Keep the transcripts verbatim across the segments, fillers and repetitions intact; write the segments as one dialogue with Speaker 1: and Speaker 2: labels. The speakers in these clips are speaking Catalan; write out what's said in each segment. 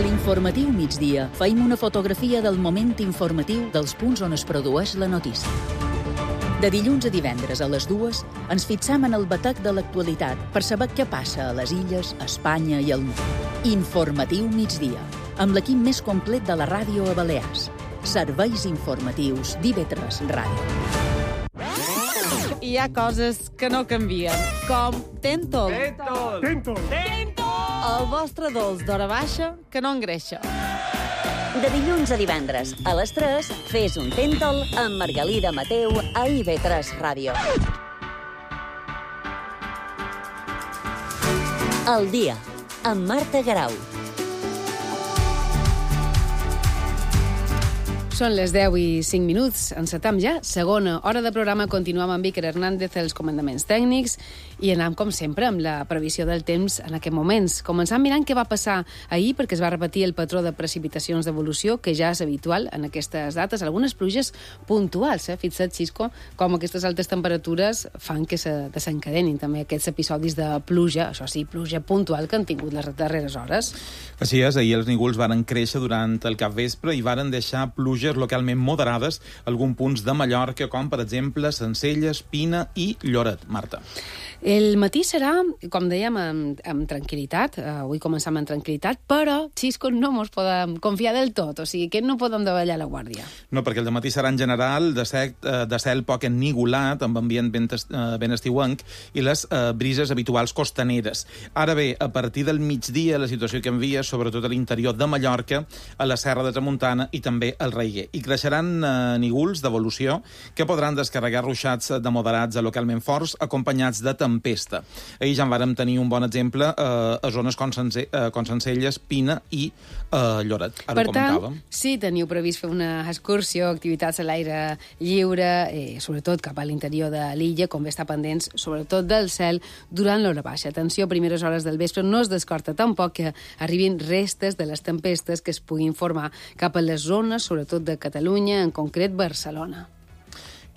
Speaker 1: A l'informatiu migdia feim una fotografia del moment informatiu dels punts on es produeix la notícia. De dilluns a divendres a les dues ens fixam en el batec de l'actualitat per saber què passa a les illes, a Espanya i al món. Informatiu migdia, amb l'equip més complet de la ràdio a Balears. Serveis informatius d'I V tres Ràdio.
Speaker 2: Hi ha coses que no canvien, com Tentol.
Speaker 3: Tentol!
Speaker 4: Tentol!
Speaker 2: Tentol! El vostre dolç d'hora baixa que no engreixa.
Speaker 5: De dilluns a divendres, a les tres, fes un Tentol amb Margalida Mateu a I V tres Ràdio. El dia, amb Marta Garau.
Speaker 2: Són les deu i cinc minuts. Encetam ja segona hora de programa. Continuam amb Iker Hernández, els comandaments tècnics, i anem, com sempre, amb la previsió del temps en aquests moments. Començant mirant què va passar ahir, perquè es va repetir el patró de precipitacions d'evolució, que ja és habitual en aquestes dates. Algunes pluges puntuals, eh? Fixa't, Xisco, com aquestes altes temperatures fan que se desencadenin també aquests episodis de pluja, això sí, pluja puntual que han tingut les darreres hores.
Speaker 3: Així és, ahir els nígols varen créixer durant el capvespre i varen deixar pluges localment moderades a alguns punts de Mallorca, com per exemple Sencelles, Pina i Lloret. Marta.
Speaker 2: El matí serà, com dèiem, amb, amb tranquil·litat. Uh, avui començam amb tranquil·litat, però, Xisco, no mos podem confiar del tot. O sigui, que no podem davallar la guàrdia.
Speaker 3: No, perquè el dematí serà en general de, sec, de cel poc ennigolat, amb ambient ben, uh, ben estiuenc, i les uh, brises habituals costaneres. Ara bé, a partir del migdia, la situació canvia, sobretot a l'interior de Mallorca, a la Serra de Tramuntana i també al Raiguer. I creixeran uh, nígols d'evolució que podran descarregar ruixats de moderats a localment forts, acompanyats de tempesta. Ahir ja en vàrem tenir un bon exemple eh, a zones com, Sense, eh, com Sencelles, Pina i eh, Lloret. Ara
Speaker 2: per
Speaker 3: ho
Speaker 2: tant,
Speaker 3: comentàvem.
Speaker 2: si teniu previst fer una excursió, activitats a l'aire lliure, eh, sobretot cap a l'interior de l'illa, com bé està pendents, sobretot del cel, durant l'hora baixa. Atenció, a primeres hores del vespre no es descarta tampoc que arribin restes de les tempestes que es puguin formar cap a les zones, sobretot de Catalunya, en concret Barcelona.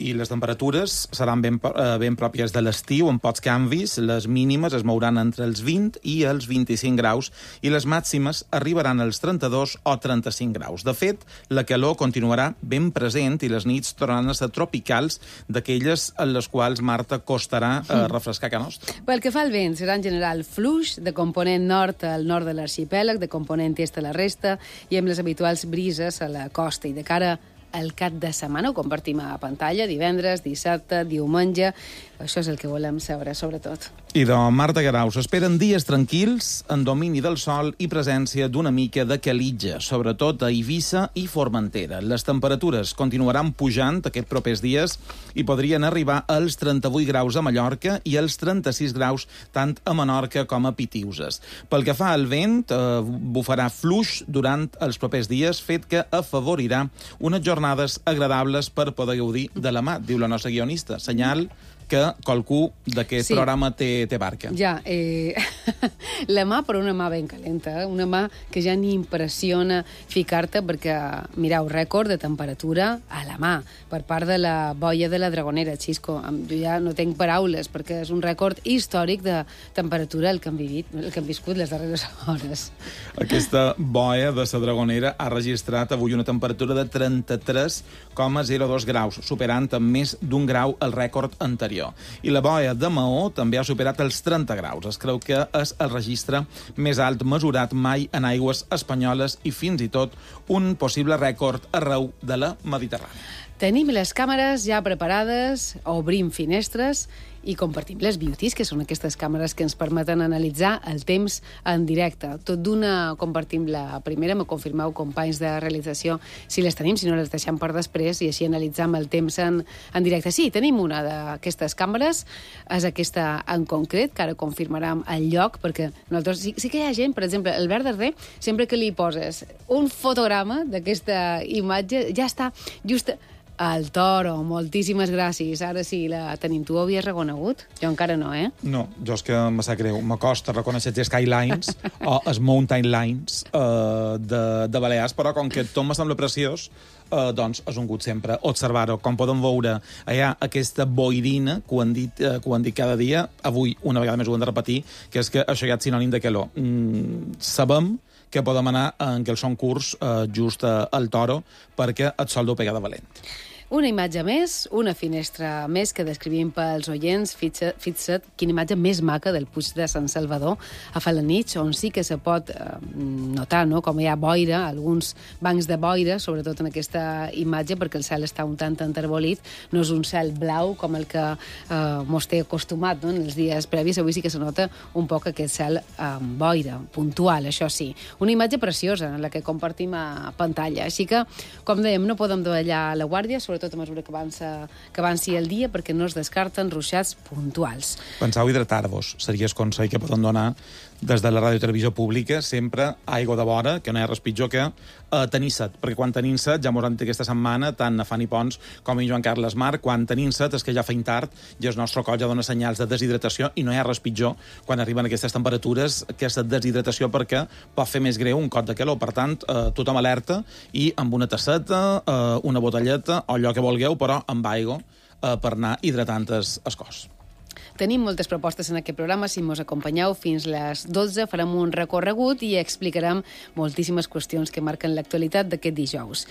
Speaker 3: I les temperatures seran ben, eh, ben pròpies de l'estiu, amb pocs canvis. Les mínimes es mouran entre els vint i els vint-i-cinc graus i les màximes arribaran als trenta-dos o trenta-cinc graus. De fet, la calor continuarà ben present i les nits tornaran a ser tropicals, d'aquelles en les quals, Marta, costarà eh, refrescar a nostra.
Speaker 2: Pel que fa al vent, serà en general fluix, de component nord al nord de l'arxipèlag, de component est a la resta, i amb les habituals brises a la costa. I de cara el cap de setmana ho compartim a pantalla, divendres, dissabte, diumenge. Això és el que volem saber, sobretot.
Speaker 3: I de Marta Garau, s'esperen dies tranquils, en domini del sol i presència d'una mica de calitja, sobretot a Eivissa i Formentera. Les temperatures continuaran pujant aquests propers dies i podrien arribar als trenta-vuit graus a Mallorca i als trenta-sis graus tant a Menorca com a Pitiuses. Pel que fa al vent, eh, bufarà fluix durant els propers dies, fet que afavorirà unes jornades agradables per poder gaudir de la mà, diu la nostra guionista. Senyal que qualcú d'aquest sí. programa té, té barca.
Speaker 2: Ja, eh, la mà per una mà ben calenta, eh? Una mà que ja ni impressiona ficar-te perquè, mireu, rècord de temperatura a la mà per part de la boia de la Dragonera, Xisco. Jo ja no tinc paraules perquè és un rècord històric de temperatura el que han, vivit, el que han viscut les darreres hores.
Speaker 3: Aquesta boia de la Dragonera ha registrat avui una temperatura de trenta-tres coma zero dos graus, superant amb més d'un grau el rècord anterior. I la boia de Maó també ha superat els trenta graus. Es creu que és el registre més alt mesurat mai en aigües espanyoles i fins i tot un possible rècord arreu de la Mediterrània.
Speaker 2: Tenim les càmeres ja preparades, obrim finestres i compartim les beauties, que són aquestes càmeres que ens permeten analitzar el temps en directe. Tot d'una compartim la primera, me confirmeu, companys de realització, si les tenim, si no les deixem per després, i així analitzam el temps en, en directe. Sí, tenim una d'aquestes càmeres, és aquesta en concret, que ara confirmarem el lloc, perquè nosaltres, sí, sí que hi ha gent, per exemple, el Albert Darder, sempre que li poses un fotograma d'aquesta imatge, ja està just al Toro, moltíssimes gràcies. Ara sí, la tenim. Tu ho havies reconegut? Jo encara no, eh?
Speaker 3: No, jo és que me sap greu. M'acosta reconèixer els Skylines o els Mountain Lines uh, de, de Balears, però com que tot me sembla preciós, uh, doncs és un gust sempre observar-ho. Com podem veure, hi ha aquesta boirina que ho han dit, uh, que ho han dit cada dia. Avui, una vegada més ho hem de repetir, que és que això ja és sinònim de calor. Mm, sabem que podem anar en què el són curs uh, just uh, al Toro, perquè et sol dur pegar de valent.
Speaker 2: Una imatge més, una finestra més que descrivim pels oients. Fixa't, fixa't quina imatge més maca del Puig de Sant Salvador a Falanich, on sí que se pot eh, notar, no?, com hi ha boira, alguns bancs de boira, sobretot en aquesta imatge, perquè el cel està un tant enterbolit. No és un cel blau com el que eh, mos té acostumat, no?, en els dies previs. Avui sí que se nota un poc aquest cel amb boira, puntual, això sí. Una imatge preciosa, en la que compartim a pantalla. Així que, com dèiem, no podem davallar la guàrdia, sobretot a mesura que avança, que avanci el dia, perquè no es descarten ruixats puntuals.
Speaker 3: Penseu hidratar-vos. Seria el consell que poden donar des de la ràdio i televisió pública, sempre aigua de vora, que no hi ha res pitjor que eh, tenir set, perquè quan tenim set, ja m'ho han dit aquesta setmana, tant a Fanny Pons com a Joan Carles Marc, quan tenim set és que ja feim tard i el nostre cos ja dona senyals de deshidratació i no hi ha res pitjor quan arriben aquestes temperatures, aquesta deshidratació, perquè pot fer més greu un cot de calor. Per tant, eh, tothom alerta i amb una tasseta, eh, una botelleta o allò que vulgueu, però amb aigua eh, per anar hidratant el, el cos.
Speaker 2: Tenim moltes propostes en aquest programa. Si mos acompanyeu fins les dotze farem un recorregut i explicarem moltíssimes qüestions que marquen l'actualitat d'aquest dijous.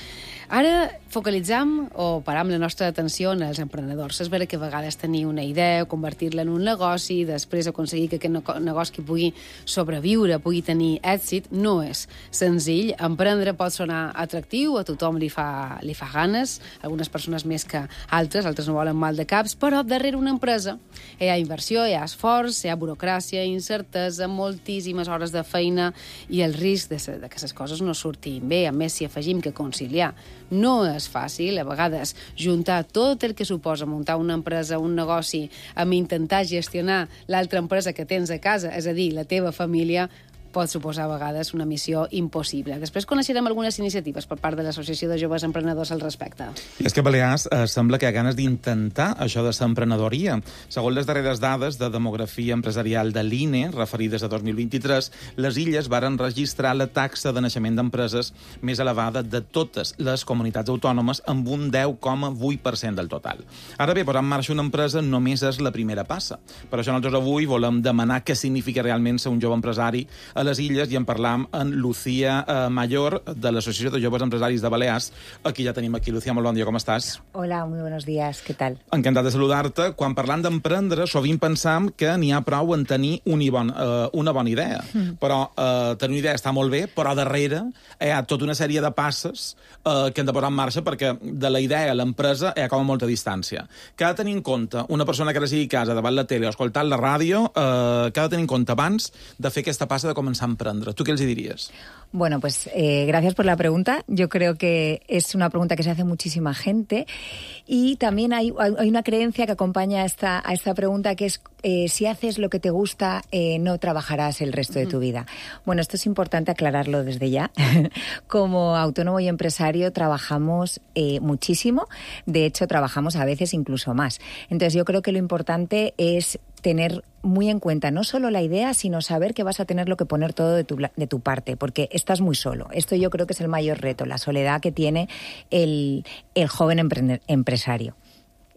Speaker 2: Ara focalitzam o param la nostra atenció en els emprenedors. És vera que a vegades tenir una idea, convertir-la en un negoci, després aconseguir que aquest negoci pugui sobreviure, pugui tenir èxit, no és senzill. Emprendre pot sonar atractiu, a tothom li fa, li fa ganes, algunes persones més que altres, altres no volen mal de caps, però darrere una empresa hi ha inversió, hi ha esforç, hi ha burocràcia, incertesa, moltíssimes hores de feina i el risc de, de que les coses no surtin bé. A més, si afegim que conciliar no és fàcil, a vegades juntar tot el que suposa muntar una empresa, un negoci, amb intentar gestionar l'altra empresa que tens a casa, és a dir, la teva família, pot suposar a vegades una missió impossible. Després coneixerem algunes iniciatives per part de l'Associació de Joves Emprenedors al respecte.
Speaker 3: I és que a Balears eh, sembla que hi ha ganes d'intentar això de l'emprenedoria. Segons les darreres dades de demografia empresarial de l'I N E, referides a dos mil vint-i-tres, les illes varen registrar la taxa de naixement d'empreses més elevada de totes les comunitats autònomes, amb un deu coma vuit per cent del total. Ara bé, posar en marxa una empresa només és la primera passa. Per això nosaltres avui volem demanar què significa realment ser un jove empresari a les illes i en parlam amb Lucía eh, Mayor, de l'Associació de Joves Empresaris de Balears. Aquí ja tenim aquí. Lucía, molt bon dia, com estàs?
Speaker 4: Hola, muy buenos días, ¿qué tal?
Speaker 3: Encantat de saludar-te. Quan parlam d'emprendre, sovint pensam que n'hi ha prou en tenir una, bon, eh, una bona idea. Mm. Però eh, tenir una idea està molt bé, però darrere hi ha tota una sèrie de passes eh, que hem de posar en marxa, perquè de la idea a l'empresa hi ha com a molta distància. Que ha de tenir en compte una persona que ara sigui a casa, davant la tele o escoltant la ràdio, eh, que ha de tenir en compte abans de fer aquesta passa de començar a emprendre. ¿Tú qué les dirías?
Speaker 4: Bueno, pues eh, gracias por la pregunta. Yo creo que es una pregunta que se hace muchísima gente y también hay, hay una creencia que acompaña a esta, a esta pregunta, que es eh, si haces lo que te gusta, eh, no trabajarás el resto de tu vida. Bueno, esto es importante aclararlo desde ya. Como autónomo y empresario trabajamos eh, muchísimo. De hecho, trabajamos a veces incluso más. Entonces, yo creo que lo importante es tener muy en cuenta no solo la idea, sino saber que vas a tenerlo que poner todo de tu, de tu parte, porque estás muy solo. Esto yo creo que es el mayor reto, la soledad que tiene el, el joven emprender, empresario.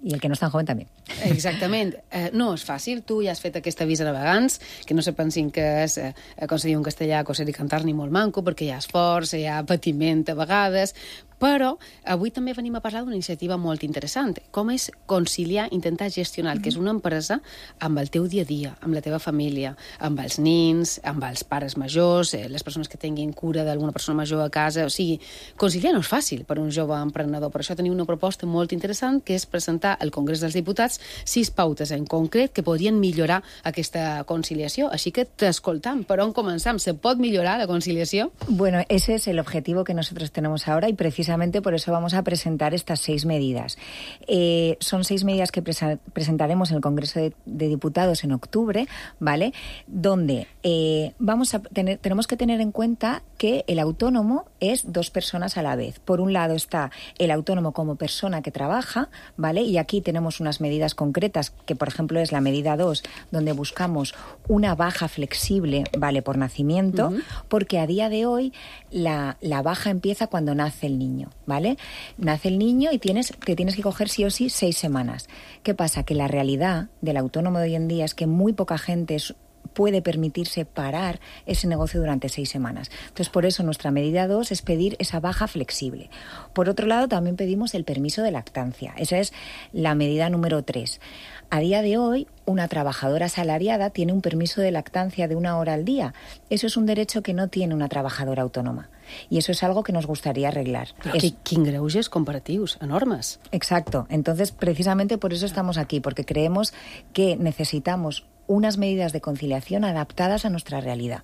Speaker 4: I el que no és tan joven també.
Speaker 2: Exactament. Eh, no és fàcil. Tu ja has fet aquesta avís a navegants, que no se pensin que és eh, aconseguir un castellà, coser i cantar ni molt manco, perquè hi ha esforç, hi ha patiment a vegades, però avui també venim a parlar d'una iniciativa molt interessant, com és conciliar, intentar gestionar el que és una empresa amb el teu dia a dia, amb la teva família, amb els nins, amb els pares majors, eh, les persones que tinguin cura d'alguna persona major a casa. O sigui, conciliar no és fàcil per un jove emprenedor. Per això tenim una proposta molt interessant, que és presentar al Congrés dels Diputats sis pautes en concret que podrien millorar aquesta conciliació. Així que t'escoltam. Per on començam? Se pot millorar la conciliació?
Speaker 4: Bueno, ese es el objetivo que nosotros tenemos ahora y precisamente Precisamente por eso vamos a presentar estas seis medidas. Eh, son seis medidas que presa- presentaremos en el Congreso de, de Diputados en octubre, ¿vale? Donde eh, vamos a tener, tenemos que tener en cuenta que el autónomo es dos personas a la vez. Por un lado está el autónomo como persona que trabaja, ¿vale? Y aquí tenemos unas medidas concretas, que por ejemplo es la medida dos, donde buscamos una baja flexible, ¿vale? Por nacimiento, uh-huh. porque a día de hoy la, la baja empieza cuando nace el niño. ¿Vale? Nace el niño y tienes, te tienes que coger sí o sí seis semanas. ¿Qué pasa? Que la realidad del autónomo de hoy en día es que muy poca gente es, puede permitirse parar ese negocio durante seis semanas. Entonces, por eso nuestra medida dos es pedir esa baja flexible. Por otro lado, también pedimos el permiso de lactancia. Esa es la medida número tres. A día de hoy, una trabajadora asalariada tiene un permiso de lactancia de una hora al día. Eso es un derecho que no tiene una trabajadora autónoma. Y eso es algo que nos gustaría arreglar.
Speaker 2: Però es... quin greuges comparatius, enormes.
Speaker 4: Exacto. Entonces, precisamente por eso estamos aquí, porque creemos que necesitamos unas medidas de conciliación adaptadas a nuestra realidad.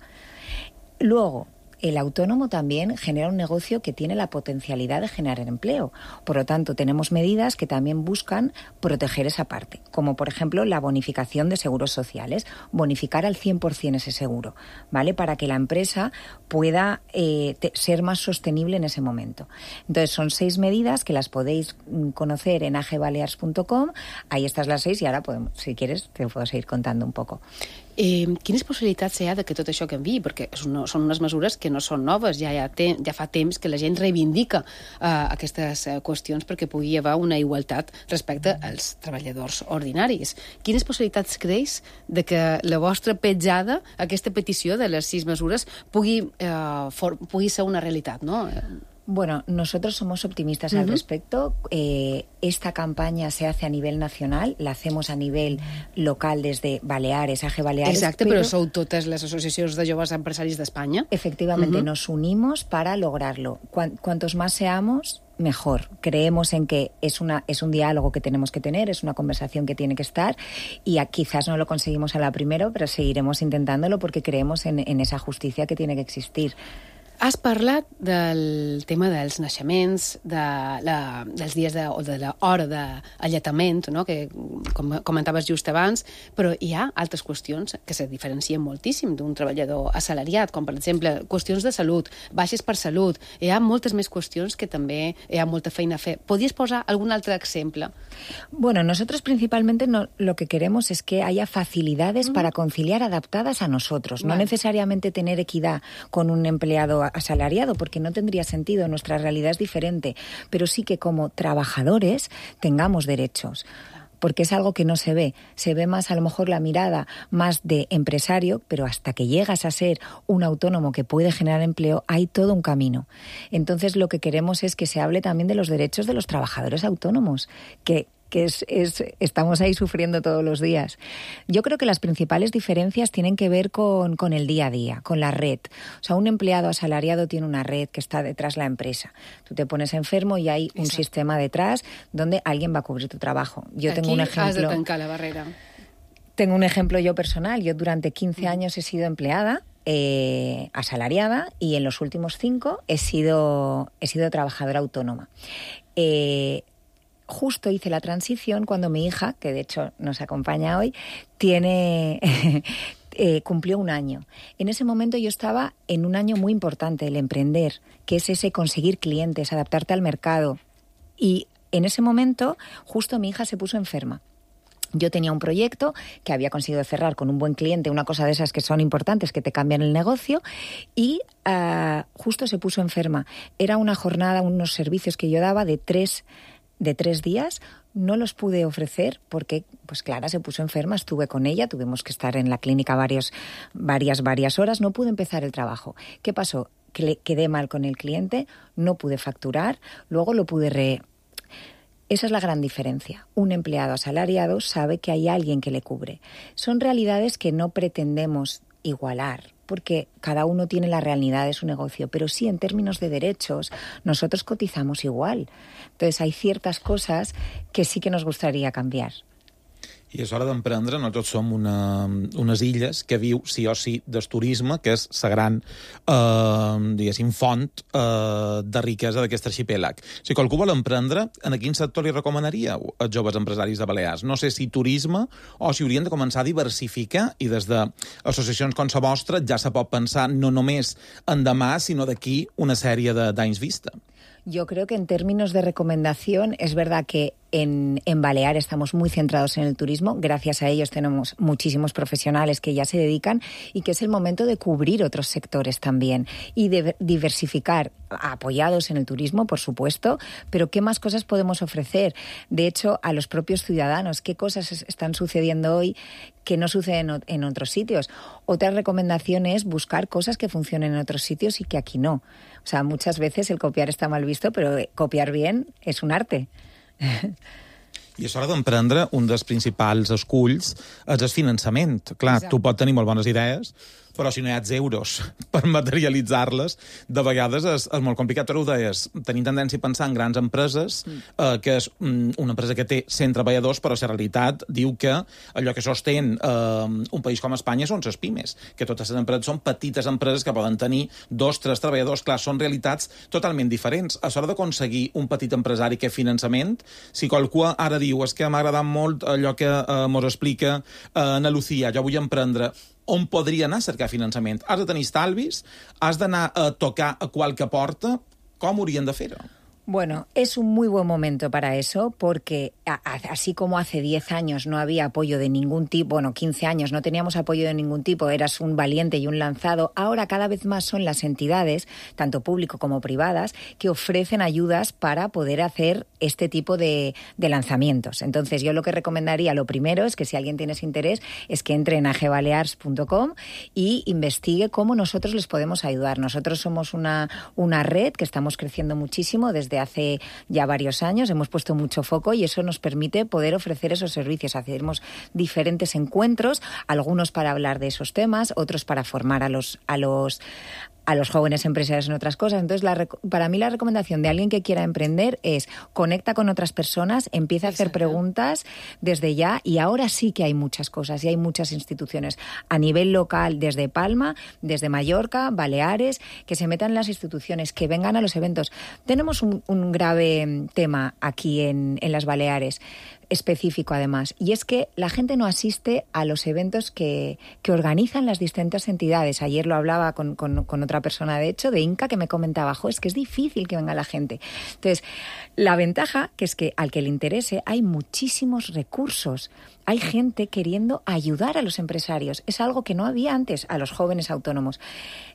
Speaker 4: Luego, el autónomo también genera un negocio que tiene la potencialidad de generar empleo. Por lo tanto, tenemos medidas que también buscan proteger esa parte, como por ejemplo la bonificación de seguros sociales, bonificar al cien por ciento ese seguro, ¿vale? Para que la empresa pueda eh, te, ser más sostenible en ese momento. Entonces, son seis medidas que las podéis conocer en a ge balears punto com. Ahí estás las seis y ahora, podemos, si quieres, te puedo seguir contando un poco.
Speaker 2: Eh, quines possibilitats hi ha de que tot això canviï? Perquè no, són unes mesures que no són noves, ja, ja, te, ja fa temps que la gent reivindica uh, aquestes uh, qüestions perquè pugui haver una igualtat respecte als treballadors ordinaris. Quines possibilitats creus de que la vostra petjada, aquesta petició de les sis mesures, pugui, uh, for, pugui ser una realitat, no?
Speaker 4: Bueno, nosotros somos optimistas uh-huh. al respecto. Eh, esta campaña se hace a nivel nacional, la hacemos a nivel local desde Baleares, A G Baleares.
Speaker 2: Exacte, però, però sou totes les associacions de joves empresaris d'Espanya.
Speaker 4: Efectivamente, uh-huh. nos unimos para lograrlo. Cuan, cuantos más seamos, mejor. Creemos en que es, una, es un diálogo que tenemos que tener, es una conversación que tiene que estar y a, quizás no lo conseguimos a la primera, pero seguiremos intentándolo porque creemos en, en esa justicia que tiene que existir.
Speaker 2: Has parlat del tema dels naixements, de la, dels dies de, o de l'hora d'alletament, no? Que com comentaves just abans, però hi ha altres qüestions que se diferencien moltíssim d'un treballador assalariat, com per exemple qüestions de salut, baixes per salut. Hi ha moltes més qüestions que també hi ha molta feina a fer. Podries posar algun altre exemple?
Speaker 4: Bueno, nosotros principalmente no, lo que queremos es que haya facilidades mm. para conciliar adaptadas a nosotros, vale. No necesariamente tener equidad con un empleado asalariado, porque no tendría sentido, nuestra realidad es diferente, pero sí que como trabajadores tengamos derechos, porque es algo que no se ve. Se ve más, a lo mejor, la mirada más de empresario, pero hasta que llegas a ser un autónomo que puede generar empleo, hay todo un camino. Entonces, lo que queremos es que se hable también de los derechos de los trabajadores autónomos, que que es, es, estamos ahí sufriendo todos los días. Yo creo que las principales diferencias tienen que ver con, con el día a día, con la red. O sea, un empleado asalariado tiene una red que está detrás de la empresa. Tú te pones enfermo y hay un Exacto. sistema detrás donde alguien va a cubrir tu trabajo. Yo
Speaker 2: Aquí
Speaker 4: tengo un ejemplo.
Speaker 2: Has de tancar la barrera.
Speaker 4: Tengo un ejemplo yo personal. Yo durante quince años he sido empleada, eh, asalariada, y en los últimos cinco he sido, he sido trabajadora autónoma. Eh, Justo hice la transición cuando mi hija, que de hecho nos acompaña hoy, tiene eh, cumplió un año. En ese momento yo estaba en un año muy importante, el emprender, que es ese conseguir clientes, adaptarte al mercado. Y en ese momento justo mi hija se puso enferma. Yo tenía un proyecto que había conseguido cerrar con un buen cliente, una cosa de esas que son importantes, que te cambian el negocio, y uh, justo se puso enferma. Era una jornada, unos servicios que yo daba de tres de tres días, no los pude ofrecer porque, pues Clara se puso enferma, estuve con ella, tuvimos que estar en la clínica varios, varias, varias horas, no pude empezar el trabajo. ¿Qué pasó? Que le quedé mal con el cliente, no pude facturar, luego lo pude re... Esa es la gran diferencia. Un empleado asalariado sabe que hay alguien que le cubre. Son realidades que no pretendemos igualar, porque cada uno tiene la realidad de su negocio, pero sí en términos de derechos nosotros cotizamos igual. Entonces hay ciertas cosas que sí que nos gustaría cambiar.
Speaker 3: I és hora d'emprendre. Nosaltres som una, unes illes que viu sí o sí del turisme, que és la gran, eh, diguéssim, font eh, de riquesa d'aquest arxipèlag. Si qualcú vol emprendre, en quin sector li recomanaríeu als joves empresaris de Balears? No sé si turisme o si haurien de començar a diversificar i des d'associacions com la vostra ja se pot pensar no només en demà, sinó d'aquí una sèrie d'anys vista.
Speaker 4: Yo creo que en términos de recomendación es verdad que en, en Balear estamos muy centrados en el turismo. Gracias a ellos tenemos muchísimos profesionales que ya se dedican y que es el momento de cubrir otros sectores también y de diversificar. apoyados en el turismo, por supuesto, pero ¿qué más cosas podemos ofrecer? De hecho, a los propios ciudadanos, ¿qué cosas están sucediendo hoy que no suceden en otros sitios? Otra recomendación es buscar cosas que funcionen en otros sitios y que aquí no. O sea, muchas veces el copiar está mal visto, però copiar bien és un arte.
Speaker 3: I és hora d'emprendre un dels principals esculls, és el finançament. Clar, Exacte. Tu pots tenir molt bones idees, però si no hi ha euros per materialitzar-les, de vegades és, és molt complicat. Tu ho deies, tenim tendència a pensar en grans empreses, mm. eh, que és mm, una empresa que té cent treballadors, però la realitat diu que allò que sostén eh, un país com Espanya són les pimes, que totes les empreses són petites empreses que poden tenir dos, tres treballadors. Clar, són realitats totalment diferents. A l'hora d'aconseguir un petit empresari que finançament, si qualcú ara diu és que m'ha agradat molt allò que eh, mos explica eh, Ana Lucía, jo vull emprendre, on podria anar a cercar finançament? Has de tenir estalvis? Has d'anar a tocar a qualque porta? Com haurien de fer-ho?
Speaker 4: Bueno, es un muy buen momento para eso porque a, a, así como hace diez años no había apoyo de ningún tipo, bueno, quince años no teníamos apoyo de ningún tipo, eras un valiente y un lanzado, ahora cada vez más son las entidades, tanto público como privadas, que ofrecen ayudas para poder hacer este tipo de, de lanzamientos. Entonces, yo lo que recomendaría, lo primero es que si alguien tiene ese interés, es que entre en a g balears punto com y investigue cómo nosotros les podemos ayudar. Nosotros somos una, una red que estamos creciendo muchísimo desde hace ya varios años, hemos puesto mucho foco y eso nos permite poder ofrecer esos servicios. Hacemos diferentes encuentros, algunos para hablar de esos temas, otros para formar a los a los a los jóvenes empresarios en otras cosas. Entonces, la, para mí la recomendación de alguien que quiera emprender es conecta con otras personas, empieza a hacer Exacto. preguntas desde ya, y ahora sí que hay muchas cosas y hay muchas instituciones a nivel local, desde Palma, desde Mallorca, Baleares, que se metan en las instituciones, que vengan a los eventos. Tenemos un, un grave tema aquí en, en las Baleares, específico además, y es que la gente no asiste a los eventos que, que organizan las distintas entidades. Ayer lo hablaba con, con, con otra persona, de hecho, de Inca, que me comentaba, jo, es que es difícil que venga la gente. Entonces, la ventaja que es que al que le interese hay muchísimos recursos. Hay gente queriendo ayudar a los empresarios. Es algo que no había antes, a los jóvenes autónomos.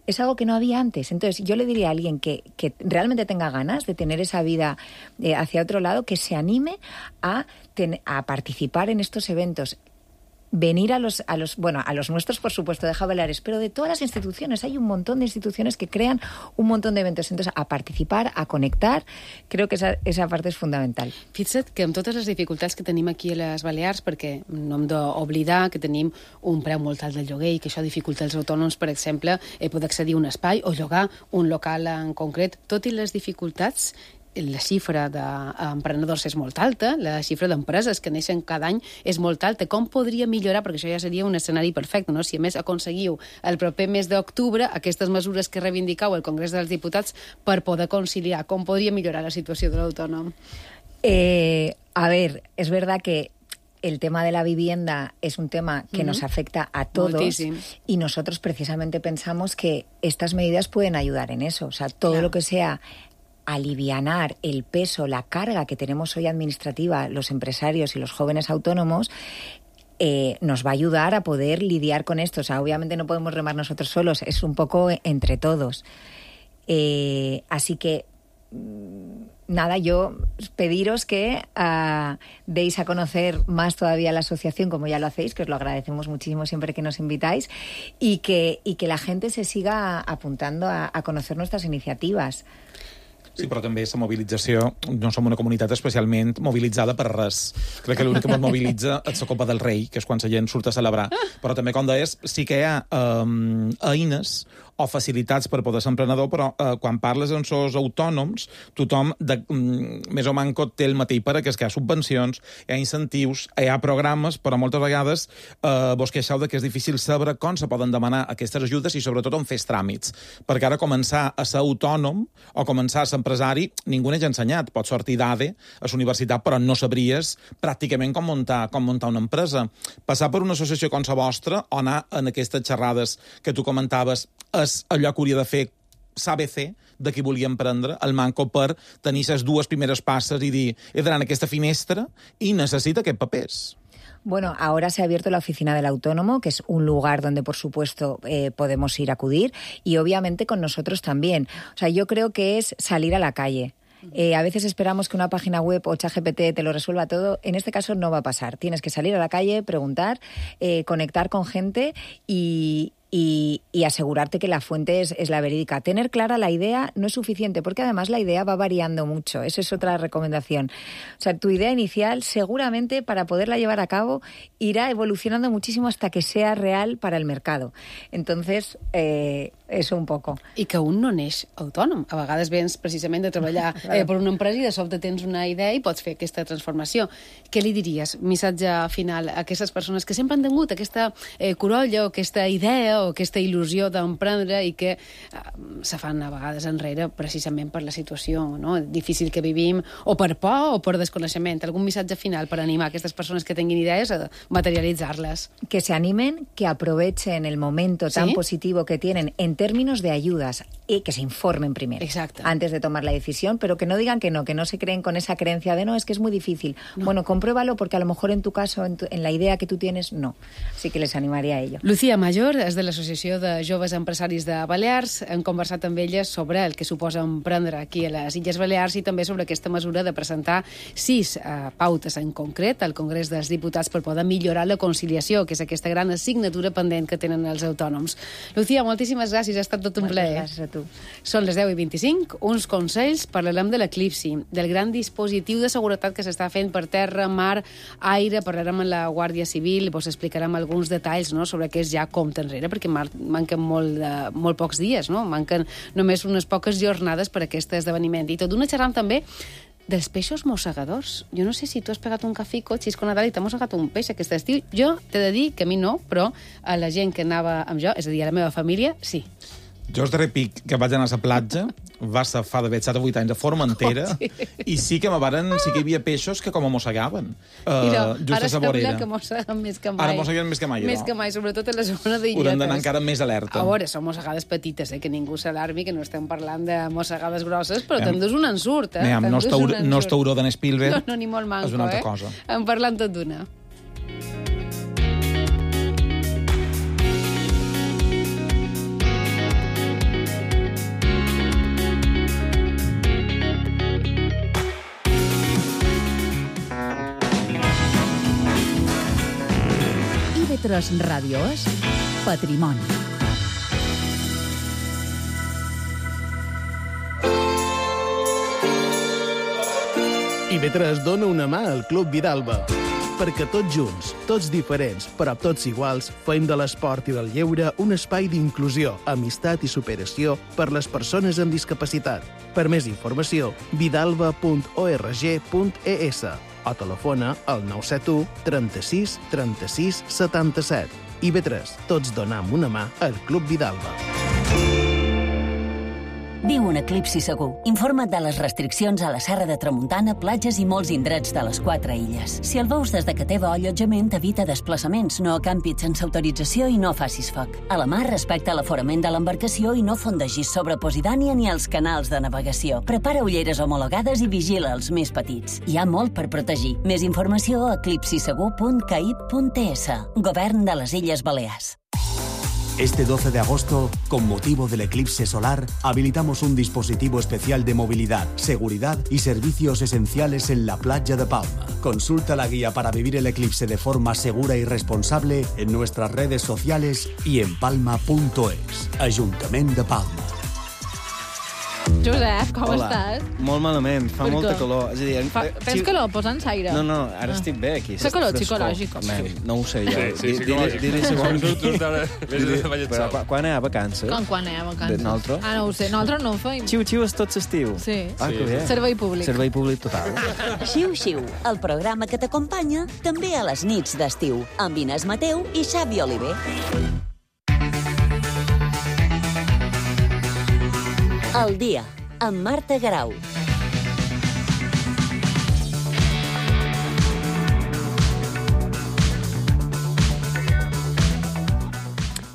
Speaker 4: Es algo que no había antes. Entonces, yo le diría a alguien que, que realmente tenga ganas de tener esa vida eh, hacia otro lado, que se anime a, ten, a participar en estos eventos. Venir a los, a los, bueno, a los nuestros, por supuesto, de A G Baleares, pero de todas las instituciones. Hay un montón de instituciones que crean un montón de eventos. Entonces, a participar, a conectar, creo que esa, esa parte és fundamental.
Speaker 2: Fixa't que amb totes les dificultats que tenim aquí a les Balears, perquè no hem d'oblidar que tenim un preu molt alt del lloguer i que això dificulta els autònoms, per exemple, eh, poder accedir a un espai o llogar un local en concret. Tot i les dificultats, la xifra d'emprenedors és molt alta, la xifra d'empreses que neixen cada any és molt alta. Com podria millorar? Perquè això ja seria un escenari perfecte, no? Si a més aconseguiu el proper mes d'octubre aquestes mesures que reivindicau al Congrés dels Diputats per poder conciliar, com podria millorar la situació de l'autònom?
Speaker 4: Eh, a ver, es verdad que el tema de la vivienda es un tema que uh-huh. nos afecta a todos. Moltíssim. Y nosotros precisamente pensamos que estas medidas pueden ayudar en eso. O sea, todo claro. lo que sea alivianar el peso, la carga que tenemos hoy administrativa los empresarios y los jóvenes autónomos, eh, nos va a ayudar a poder lidiar con esto. O sea, obviamente no podemos remar nosotros solos, es un poco entre todos. Eh, así que, nada, yo pediros que uh, deis a conocer más todavía la asociación, como ya lo hacéis, que os lo agradecemos muchísimo siempre que nos invitáis, y que, y que la gente se siga apuntando a, a conocer nuestras iniciativas.
Speaker 3: Sí, però també la mobilització, no som una comunitat especialment mobilitzada per res. Crec que l'únic que ens mobilitza és la Copa del Rei, que és quan la gent surt a celebrar. Però també, com deies, sí que hi ha um, eines o facilitats per poder ser emprenedor, però eh, quan parles amb els autònoms, tothom de, mm, més o manco té el mateix per que és que hi ha subvencions, hi ha incentius, hi ha programes, però moltes vegades eh, vos queixeu de que és difícil saber com se poden demanar aquestes ajudes i sobretot on fer tràmits. Perquè ara començar a ser autònom o començar a ser empresari, ningú n'ha ensenyat. Pots sortir d'A D E a la universitat, però no sabries pràcticament com muntar, com muntar una empresa. Passar per una associació com la vostra o anar en aquestes xerrades que tu comentaves és allò que hauria de fer l'A B C de qui volia emprendre, el manco per tenir les dues primeres passes i dir he d'anar en aquesta finestra i necessita aquests papers.
Speaker 4: Bueno, ahora se ha abierto la oficina del autónomo, que es un lugar donde, por supuesto, eh, podemos ir a acudir, y obviamente con nosotros también. O sea, yo creo que es salir a la calle. Eh, a veces esperamos que una página web o ChatGPT te lo resuelva todo. En este caso no va a pasar. Tienes que salir a la calle, preguntar, eh, conectar con gente y... Y, y asegurarte que la fuente es, es la verídica. Tener clara la idea no es suficiente, porque además la idea va variando mucho. Esa es otra recomendación. O sea, tu idea inicial seguramente para poderla llevar a cabo irá evolucionando muchísimo hasta que sea real para el mercado. Entonces, eh, eso un poco.
Speaker 2: I que un no neix autònom. A vegades vens precisament de treballar eh, per una empresa i de sobte tens una idea i pots fer aquesta transformació. Què li diries, missatge final, a aquestes persones que sempre han tingut aquesta eh, corolla o aquesta idea o aquesta il·lusió d'emprendre i que eh, se fan a vegades enrere precisament per la situació, no?, difícil que vivim, o per por o per desconeixement? Algun missatge final per animar aquestes persones que tinguin idees a materialitzar-les?
Speaker 4: Que se animen, que aprovechen el momento tan
Speaker 2: ¿Sí?
Speaker 4: positivo que tienen en términos de ayudas y que se informen primero.
Speaker 2: Exacto.
Speaker 4: Antes de tomar la decisión, pero que no digan que no, que no se creen con esa creencia de no, es que es muy difícil.
Speaker 2: No.
Speaker 4: Bueno, compruébalo porque a lo mejor en tu caso, en, tu, en la idea que tú tienes, no. Así que les animaría a ello.
Speaker 2: Lucía Mayor és de l'Associació de Joves Empresaris de Balears. Hem conversat amb ella sobre el que suposa emprendre aquí a les Illes Balears i també sobre aquesta mesura de presentar sis eh, pautes en concret al Congrés dels Diputats per poder millorar la conciliació, que és aquesta gran assignatura pendent que tenen els autònoms. Lucía, moltíssimes gràcies, ha estat tot un
Speaker 4: Moltes
Speaker 2: plaer.
Speaker 4: gràcies a tu.
Speaker 2: Són les deu i vint-i-cinc, uns consells, parlarem de l'eclipsi, del gran dispositiu de seguretat que s'està fent per terra, mar, aire, parlarem amb la Guàrdia Civil i vos explicarem alguns detalls, no?, sobre què és ja compte enrere, perquè manquen molt, de, molt pocs dies, no? Manquen només unes poques jornades per a aquest esdeveniment. I tot d'una xerram també dels peixos mossegadors. Jo no sé si tu has pegat un cafico, Xisco Nadal, i t'ha mossegat un peix aquest estiu. Jo t'he de dir que a mi no, però a la gent que anava amb jo, és a dir, a la meva família, sí.
Speaker 3: Jo el darrer pic que vaig anar a la platja va ser fa d'haver set o vuit anys a Formentera,
Speaker 2: Oh, sí.
Speaker 3: i sí que me varen, sí que hi havia peixos que com a mossegaven. Uh,
Speaker 2: Mira,
Speaker 3: just
Speaker 2: ara
Speaker 3: a sa vorera.
Speaker 2: sembla que mosseguen més que mai.
Speaker 3: Ara mosseguen més que mai,
Speaker 2: Més
Speaker 3: no?
Speaker 2: que mai, sobretot a la zona d'Illetes.
Speaker 3: Haurem d'anar encara més alerta.
Speaker 2: A veure, són mossegades petites, eh? Que ningú s'alarmi, que no estem parlant de mossegades grosses, però
Speaker 3: Em-
Speaker 2: t'endús un ensurt, eh?
Speaker 3: Aviam, no
Speaker 2: T'endús
Speaker 3: és taur-
Speaker 2: un ensurt.
Speaker 3: no és tauró d'en Spielberg,
Speaker 2: No, no, ni molt manco,
Speaker 3: és una altra
Speaker 2: eh?
Speaker 3: cosa.
Speaker 2: En parlant tot d'una.
Speaker 1: I V tres Ràdio és Patrimoni.
Speaker 6: I V tres dona una mà al Club Vidalba. Perquè tots junts, tots diferents, però tots iguals, fem de l'esport i del lleure un espai d'inclusió, amistat i superació per les persones amb discapacitat. Per més informació, vidalba punt org punt es o telefona al nou set u trenta-sis trenta-sis setanta-set. I V tres, tots donam una mà al Club Vidalba.
Speaker 5: Viu un eclipsi segur. Informa't de les restriccions a la Serra de Tramuntana, platges i molts indrets de les quatre illes. Si el veus des de que teva allotjament, evita desplaçaments, no acampis sense autorització i no facis foc. A la mar, respecta l'aforament de l'embarcació i no fondegis sobre Posidània ni els canals de navegació. Prepara ulleres homologades i vigila els més petits. Hi ha molt per protegir. Més informació a eclipsisegur punt caib punt es. Govern de les Illes Balears.
Speaker 7: Este doce de agosto, con motivo del eclipse solar, habilitamos un dispositivo especial de movilidad, seguridad y servicios esenciales en la playa de Palma. Consulta la guía para vivir el eclipse de forma segura y responsable en nuestras redes sociales y en palma punto es. Ayuntamiento de Palma.
Speaker 8: Josep, com
Speaker 9: Hola.
Speaker 8: estàs?
Speaker 9: Molt malament, fa
Speaker 8: Per
Speaker 9: molta
Speaker 8: què?
Speaker 9: calor. És a dir,
Speaker 8: Fa,
Speaker 9: eh,
Speaker 8: tens
Speaker 9: si-
Speaker 8: calor? Posa'ns aire.
Speaker 9: No, no, ara
Speaker 8: Ah.
Speaker 9: estic bé aquí.
Speaker 8: Fa calor
Speaker 9: Frescor.
Speaker 8: psicològic, o
Speaker 9: Man,
Speaker 8: sí?
Speaker 9: no ho sé jo.
Speaker 10: Sí, sí,
Speaker 9: Di-
Speaker 10: psicològic.
Speaker 9: Dir-li segons...
Speaker 10: Tu ara vés de ballet
Speaker 9: Però
Speaker 10: sol.
Speaker 9: quan- quan anem a vacances?
Speaker 8: Com quan anem a vacances?
Speaker 9: De nosaltres?
Speaker 8: Ah, no ho sé. Nosaltres no ho feim.
Speaker 9: Xiu-xiu és tot l'estiu.
Speaker 8: Sí.
Speaker 9: Ah, que bé.
Speaker 8: Servei públic.
Speaker 9: Servei públic total.
Speaker 5: Xiu-xiu, el programa que t'acompanya també a les nits d'estiu, amb Inés Mateu i Xavi Oliver. El dia, amb Marta Garau.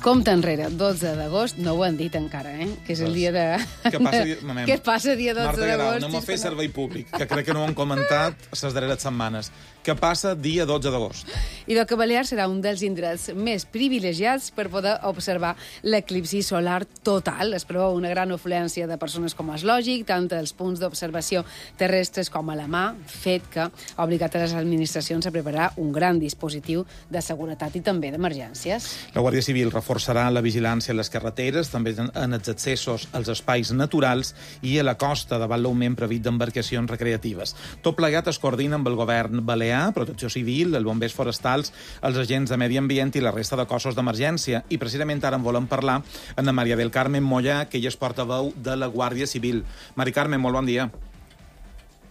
Speaker 2: Compte enrere, dotze d'agost, no ho han dit encara, eh? Que és el dia de...
Speaker 3: Què passa, mamem?
Speaker 2: Què passa dia dotze
Speaker 3: Marta Guerau,
Speaker 2: d'agost?
Speaker 3: anem a fer servei públic, que crec que no ho han comentat les darreres setmanes. Què passa dia dotze d'agost?
Speaker 2: I que Balears serà un dels indrets més privilegiats per poder observar l'eclipsi solar total. Es preveu una gran afluència de persones com és lògic, tant als punts d'observació terrestres com a la mà, fet que ha obligat a les administracions a preparar un gran dispositiu de seguretat i també d'emergències.
Speaker 3: La Guàrdia Civil reforçarà la vigilància a les carreteres, també en els accessos als espais naturals i a la costa davant l'augment previst d'embarcacions recreatives. Tot plegat es coordina amb el govern balear, Protecció Civil, els bombers forestals, els agents de medi ambient i la resta de cossos d'emergència. I precisament ara en volem parlar amb la Maria del Carmen Mollà, que ella és portaveu de la Guàrdia Civil. Mari Carmen, molt bon dia.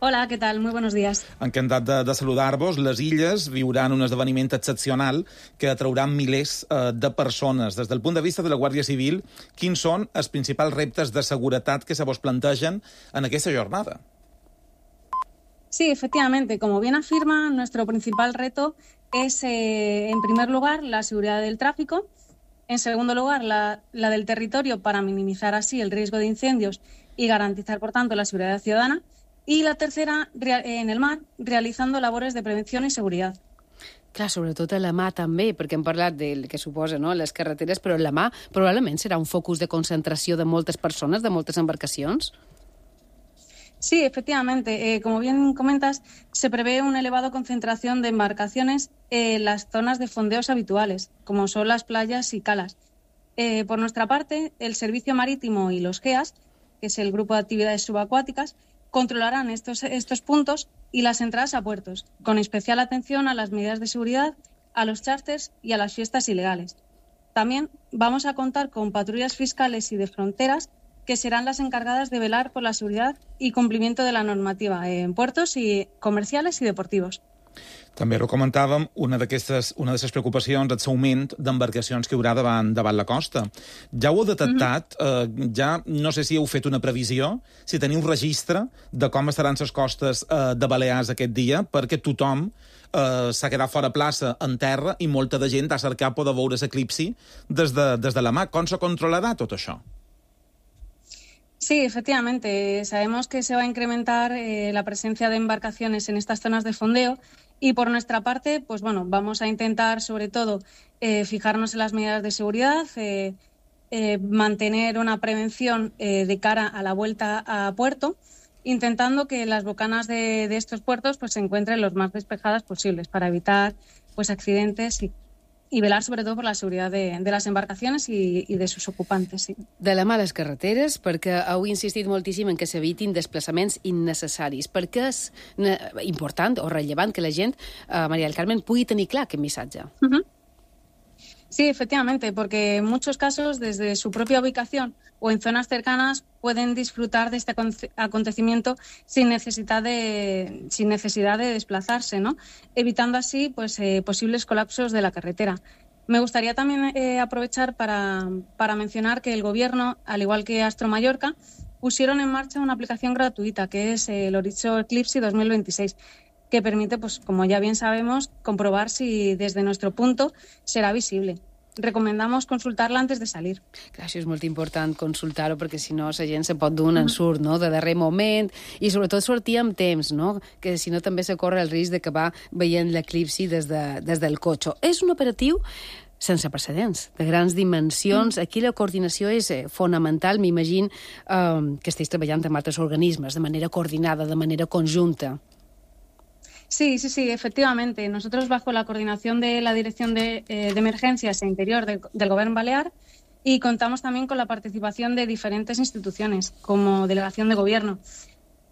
Speaker 11: Hola, ¿qué tal? Muy buenos días.
Speaker 3: Encantat de, de saludar-vos. Les Illes viuran un esdeveniment excepcional que atraurà milers eh, de persones. Des del punt de vista de la Guàrdia Civil, quins són els principals reptes de seguretat que se vos plantegen en aquesta jornada?
Speaker 11: Sí, efectivamente. Como bien afirma, nuestro principal reto es, eh, en primer lugar, la seguridad del tráfico. En segundo lugar, la, la del territorio para minimizar así el riesgo de incendios y garantizar, por tanto, la seguridad ciudadana. I la tercera, en el mar, realitzando labores de prevenció i seguretat.
Speaker 2: Clar, sobretot a la mà també, perquè hem parlat del que suposa, no?, les carreteres, però la mà probablement serà un focus de concentració de moltes persones, de moltes embarcacions.
Speaker 11: Sí, efectivamente. Eh, como bien comentas, se prevé una elevada concentración de embarcaciones en las zonas de fondeos habituales, como son las playas y calas. Eh, por nuestra parte, el Servicio Marítimo y los G E A S, que es el Grupo de Actividades Subacuáticas, controlarán estos, estos puntos y las entradas a puertos, con especial atención a las medidas de seguridad, a los charters y a las fiestas ilegales. También vamos a contar con patrullas fiscales y de fronteras que serán las encargadas de velar por la seguridad y cumplimiento de la normativa en puertos y comerciales y deportivos.
Speaker 3: També ho comentàvem, una d'aquestes una de les preocupacions és l'augment d'embarcacions que hi haurà davant, davant la costa. Ja ho heu detectat? Mm-hmm. eh, ja no sé si heu fet una previsió, si teniu un registre de com estaran les costes eh, de Balears aquest dia, perquè tothom eh, s'ha quedat fora plaça en terra i molta de gent ha cercat poder veure l'eclipsi des, de, des de la mà. Com se controlarà tot això?
Speaker 11: Sí, efectivamente. Sabemos que se va a incrementar eh, la presencia de embarcaciones en estas zonas de fondeo y por nuestra parte, pues bueno, vamos a intentar sobre todo eh, fijarnos en las medidas de seguridad, eh, eh, mantener una prevención eh, de cara a la vuelta a puerto, intentando que las bocanas de, de estos puertos pues se encuentren los más despejadas posibles para evitar pues accidentes y i velar sobretot per la seguretat de, de les embarcacions i, i de sus ocupantes. Sí.
Speaker 2: De la mà les carreteres, perquè heu insistit moltíssim en que s'evitin desplaçaments innecessaris. Per què és important o rellevant que la gent, eh, Maria del Carmen, pugui tenir clar aquest missatge?
Speaker 11: Uh-huh. Sí, efectivamente, porque en muchos casos, desde su propia ubicación o en zonas cercanas, pueden disfrutar de este acontecimiento sin necesidad de, sin necesidad de desplazarse, ¿no? Evitando así pues, eh, posibles colapsos de la carretera. Me gustaría también eh, aprovechar para, para mencionar que el Gobierno, al igual que Astro Mallorca, pusieron en marcha una aplicación gratuita que es el Horizon Eclipse dos mil veintiséis, que permite, pues, como ya bien sabemos, comprobar si desde nuestro punto serà visible. Recomendamos consultar-la antes de salir.
Speaker 2: Clar, això és molt important consultar-ho, perquè si no la gent se pot dur un ensurt, no?, de darrer moment, i sobretot sortir amb temps, no?, que si no també se corre el risc d'acabar veient l'eclipsi des, de, des del cotxe. És un operatiu sense precedents, de grans dimensions. Aquí la coordinació és eh, fonamental. M'imagino eh, que esteu treballant amb altres organismes de manera coordinada, de manera conjunta.
Speaker 11: Sí, sí, sí, efectivamente. Nosotros, bajo la coordinación de la Dirección de, eh, de Emergencias e Interior de, del Gobierno Balear, y contamos también con la participación de diferentes instituciones, como Delegación de Gobierno.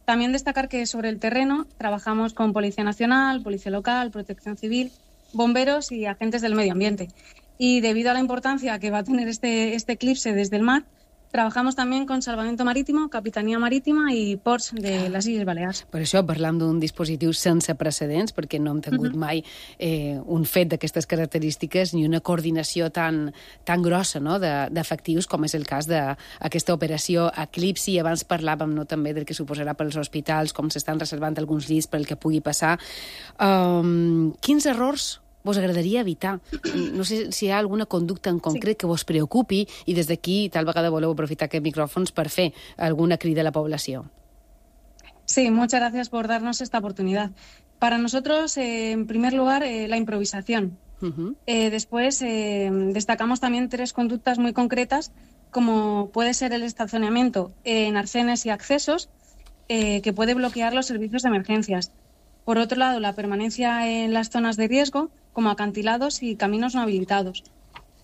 Speaker 11: También destacar que sobre el terreno trabajamos con Policía Nacional, Policía Local, Protección Civil, bomberos y agentes del medio ambiente. Y debido a la importancia que va a tener este, este eclipse desde el mar, trabajamos también con Salvamento Marítimo, Capitanía Marítima i ports de les Illes Balears.
Speaker 2: Per això parlam d'un dispositiu sense precedents, perquè no hem tingut uh-huh. mai eh, un fet d'aquestes característiques ni una coordinació tan, tan grossa, no?, d'efectius, com és el cas d'aquesta operació Eclipsi. Abans parlàvem, no?, també del que suposarà pels hospitals, com s'estan reservant alguns llits pel que pugui passar. Um, quins errors vos agradaria evitar? No sé si hi ha alguna conducta en concret sí. que vos preocupi i des d'aquí tal vegada voleu aprofitar aquests micròfons per fer alguna crida a la població.
Speaker 11: Sí, muchas gracias por darnos esta oportunidad. Para nosotros, eh, en primer lugar, eh, la improvisación. Uh-huh. Eh, después, eh, destacamos también tres conductas muy concretas, como puede ser el estacionamiento en arcenes y accesos, eh, que puede bloquear los servicios de emergencias. Por otro lado, la permanencia en las zonas de riesgo, como acantilados y caminos no habilitados.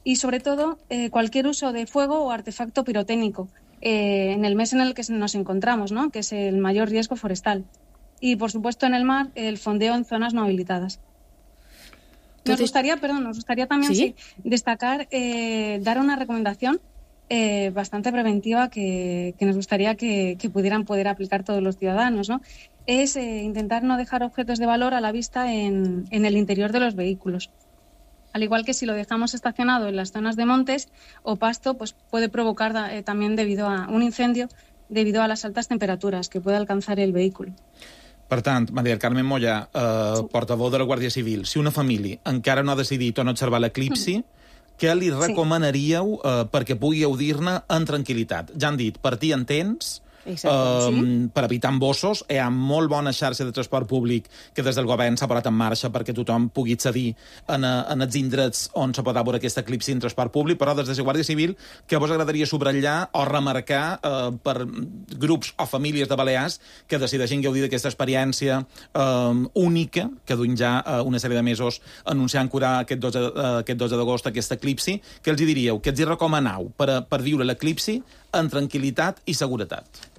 Speaker 11: Y, sobre todo, eh, cualquier uso de fuego o artefacto pirotécnico, eh, en el mes en el que nos encontramos, ¿no?, que es el mayor riesgo forestal. Y, por supuesto, en el mar, el fondeo en zonas no habilitadas. Nos gustaría, perdón, nos gustaría también ¿Sí? Sí, destacar, eh, dar una recomendación eh, bastante preventiva que, que nos gustaría que, que pudieran poder aplicar todos los ciudadanos, ¿no? Es eh, intentar no dejar objetos de valor a la vista en, en el interior de los vehículos. Al igual que si lo dejamos estacionado en las zonas de montes o pasto, pues puede provocar eh, también debido a un incendio debido a las altas temperaturas que puede alcanzar el vehículo.
Speaker 3: Per tant, Maria del Carmen Mollà, eh, sí. portaveu de la Guàrdia Civil, si una família encara no ha decidit on observar l'eclipsi, mm. què li recomanaríeu eh, perquè pugui gaudir-ne en tranquil·litat? Ja han dit, partir en temps,
Speaker 2: Exacte,
Speaker 3: um,
Speaker 2: sí.
Speaker 3: per evitar embossos. Hi ha molt bona xarxa de transport públic que des del govern s'ha posat en marxa perquè tothom pugui accedir en, en els indrets on se pot veure aquesta eclipsi en transport públic, però des de la Guàrdia Civil, què vos agradaria subratllar o remarcar eh, per grups o famílies de Balears que decideixin gaudir d'aquesta experiència eh, única, que duim ja eh, una sèrie de mesos anunciant curar aquest dotze, eh, aquest dotze d'agost aquesta eclipsi? Què els hi diríeu? Què els hi recomanau per, per viure l'eclipsi en tranquil·litat i seguretat?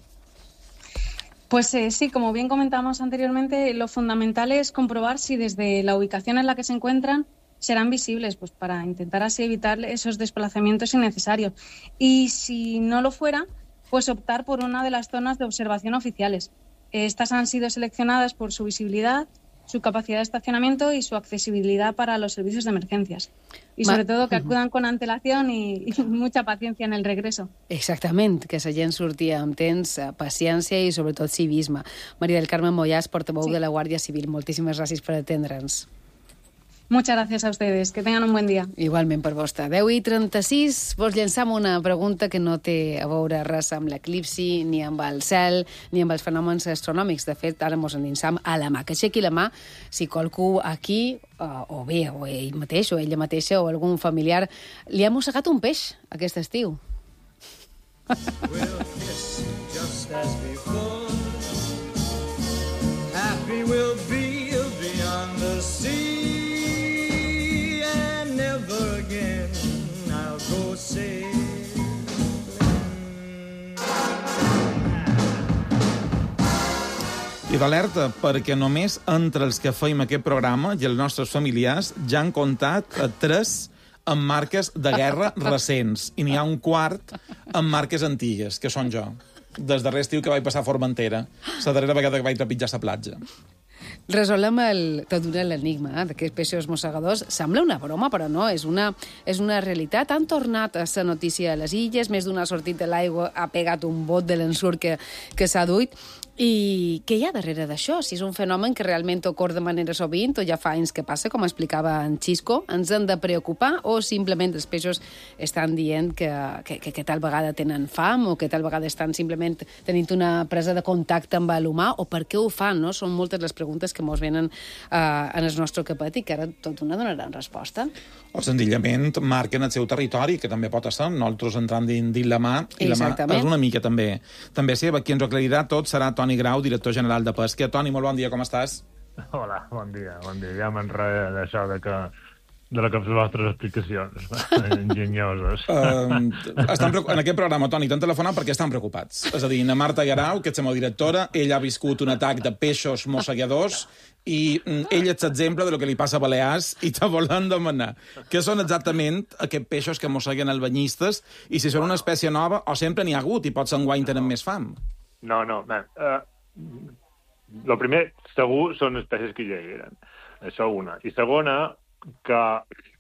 Speaker 11: Pues eh, sí, como bien comentamos anteriormente, lo fundamental es comprobar si desde la ubicación en la que se encuentran serán visibles, pues para intentar así evitar esos desplazamientos innecesarios. Y si no lo fuera, pues optar por una de las zonas de observación oficiales. Estas han sido seleccionadas por su visibilidad, su capacidad de estacionamiento y su accesibilidad para los servicios de emergencias. Y sobre Ma... todo que acudan con antelación y, y mucha paciencia en el regreso.
Speaker 2: Exactament, que la gent surti amb temps, paciència i sobretot civisme. Maria del Carmen Mollà, portaveu sí. de la Guàrdia Civil. Moltíssimes gràcies per atendre'ns.
Speaker 11: Muchas gracias a ustedes. Que tengan un buen día.
Speaker 2: Igualment per vostè. deu i trenta-sis, vos llançam una pregunta que no té a veure res amb l'eclipsi, ni amb el cel, ni amb els fenòmens astronòmics. De fet, ara mos endinsam a la mà. Que aixequi la mà si qualcú aquí, o bé, o ell mateix, o ella mateixa, o algun familiar, li ha mossegat un peix aquest estiu.
Speaker 12: We'll kiss just as before. Happy we'll be beyond the sea.
Speaker 3: I d'alerta, perquè només entre els que feim aquest programa i els nostres familiars ja han comptat tres amb marques de guerra recents. I n'hi ha un quart amb marques antigues, que són jo. Des darrer estiu que vaig passar a Formentera, la darrera vegada que vaig trepitjar la platja.
Speaker 2: Resolem el, tot l'enigma eh, d'aquests peixos mossegadors. Sembla una broma, però no, és una, és una realitat. Han tornat a la notícia a les illes, més d'una sortit de l'aigua ha pegat un bot de l'ensurt que, que s'ha duit. I què hi ha darrere d'això? Si és un fenomen que realment ocorre de manera sovint o ja fa anys que passa, com explicava en Xisco, ens hem de preocupar o simplement els peixos estan dient que, que, que, que tal vegada tenen fam o que tal vegada estan simplement tenint una presa de contacte amb l'humà o per què ho fan, no? Són moltes les preguntes que mos venen uh, en el nostre capet i que ara tot una donaran resposta.
Speaker 3: O senzillament marquen el seu territori, que també pot estar, nosaltres entrant dins la mà, i la mà és una mica també, també seva. Qui ens ho aclarirà tot serà Toni Grau, director general de Pesca. Toni, molt bon dia, com estàs?
Speaker 13: Hola, bon dia, bon dia. Ja m'enrere d'això de que de les vostres explicacions enginyoses.
Speaker 3: Uh, estan preocup... En aquest programa, Toni, t'han telefonat perquè estan preocupats. És a dir, na Marta Garau, que és la meva directora, ella ha viscut un atac de peixos mossegadors i ell és l'exemple de lo que li passa a Balears i te volen demanar què són exactament aquests peixos que mosseguen els banyistes i si són una espècie nova o sempre n'hi ha hagut i potser enguany tenen més fam.
Speaker 13: No, no, no. Uh, lo primer, segur, són espècies que ja eren. Això una. I segona, que,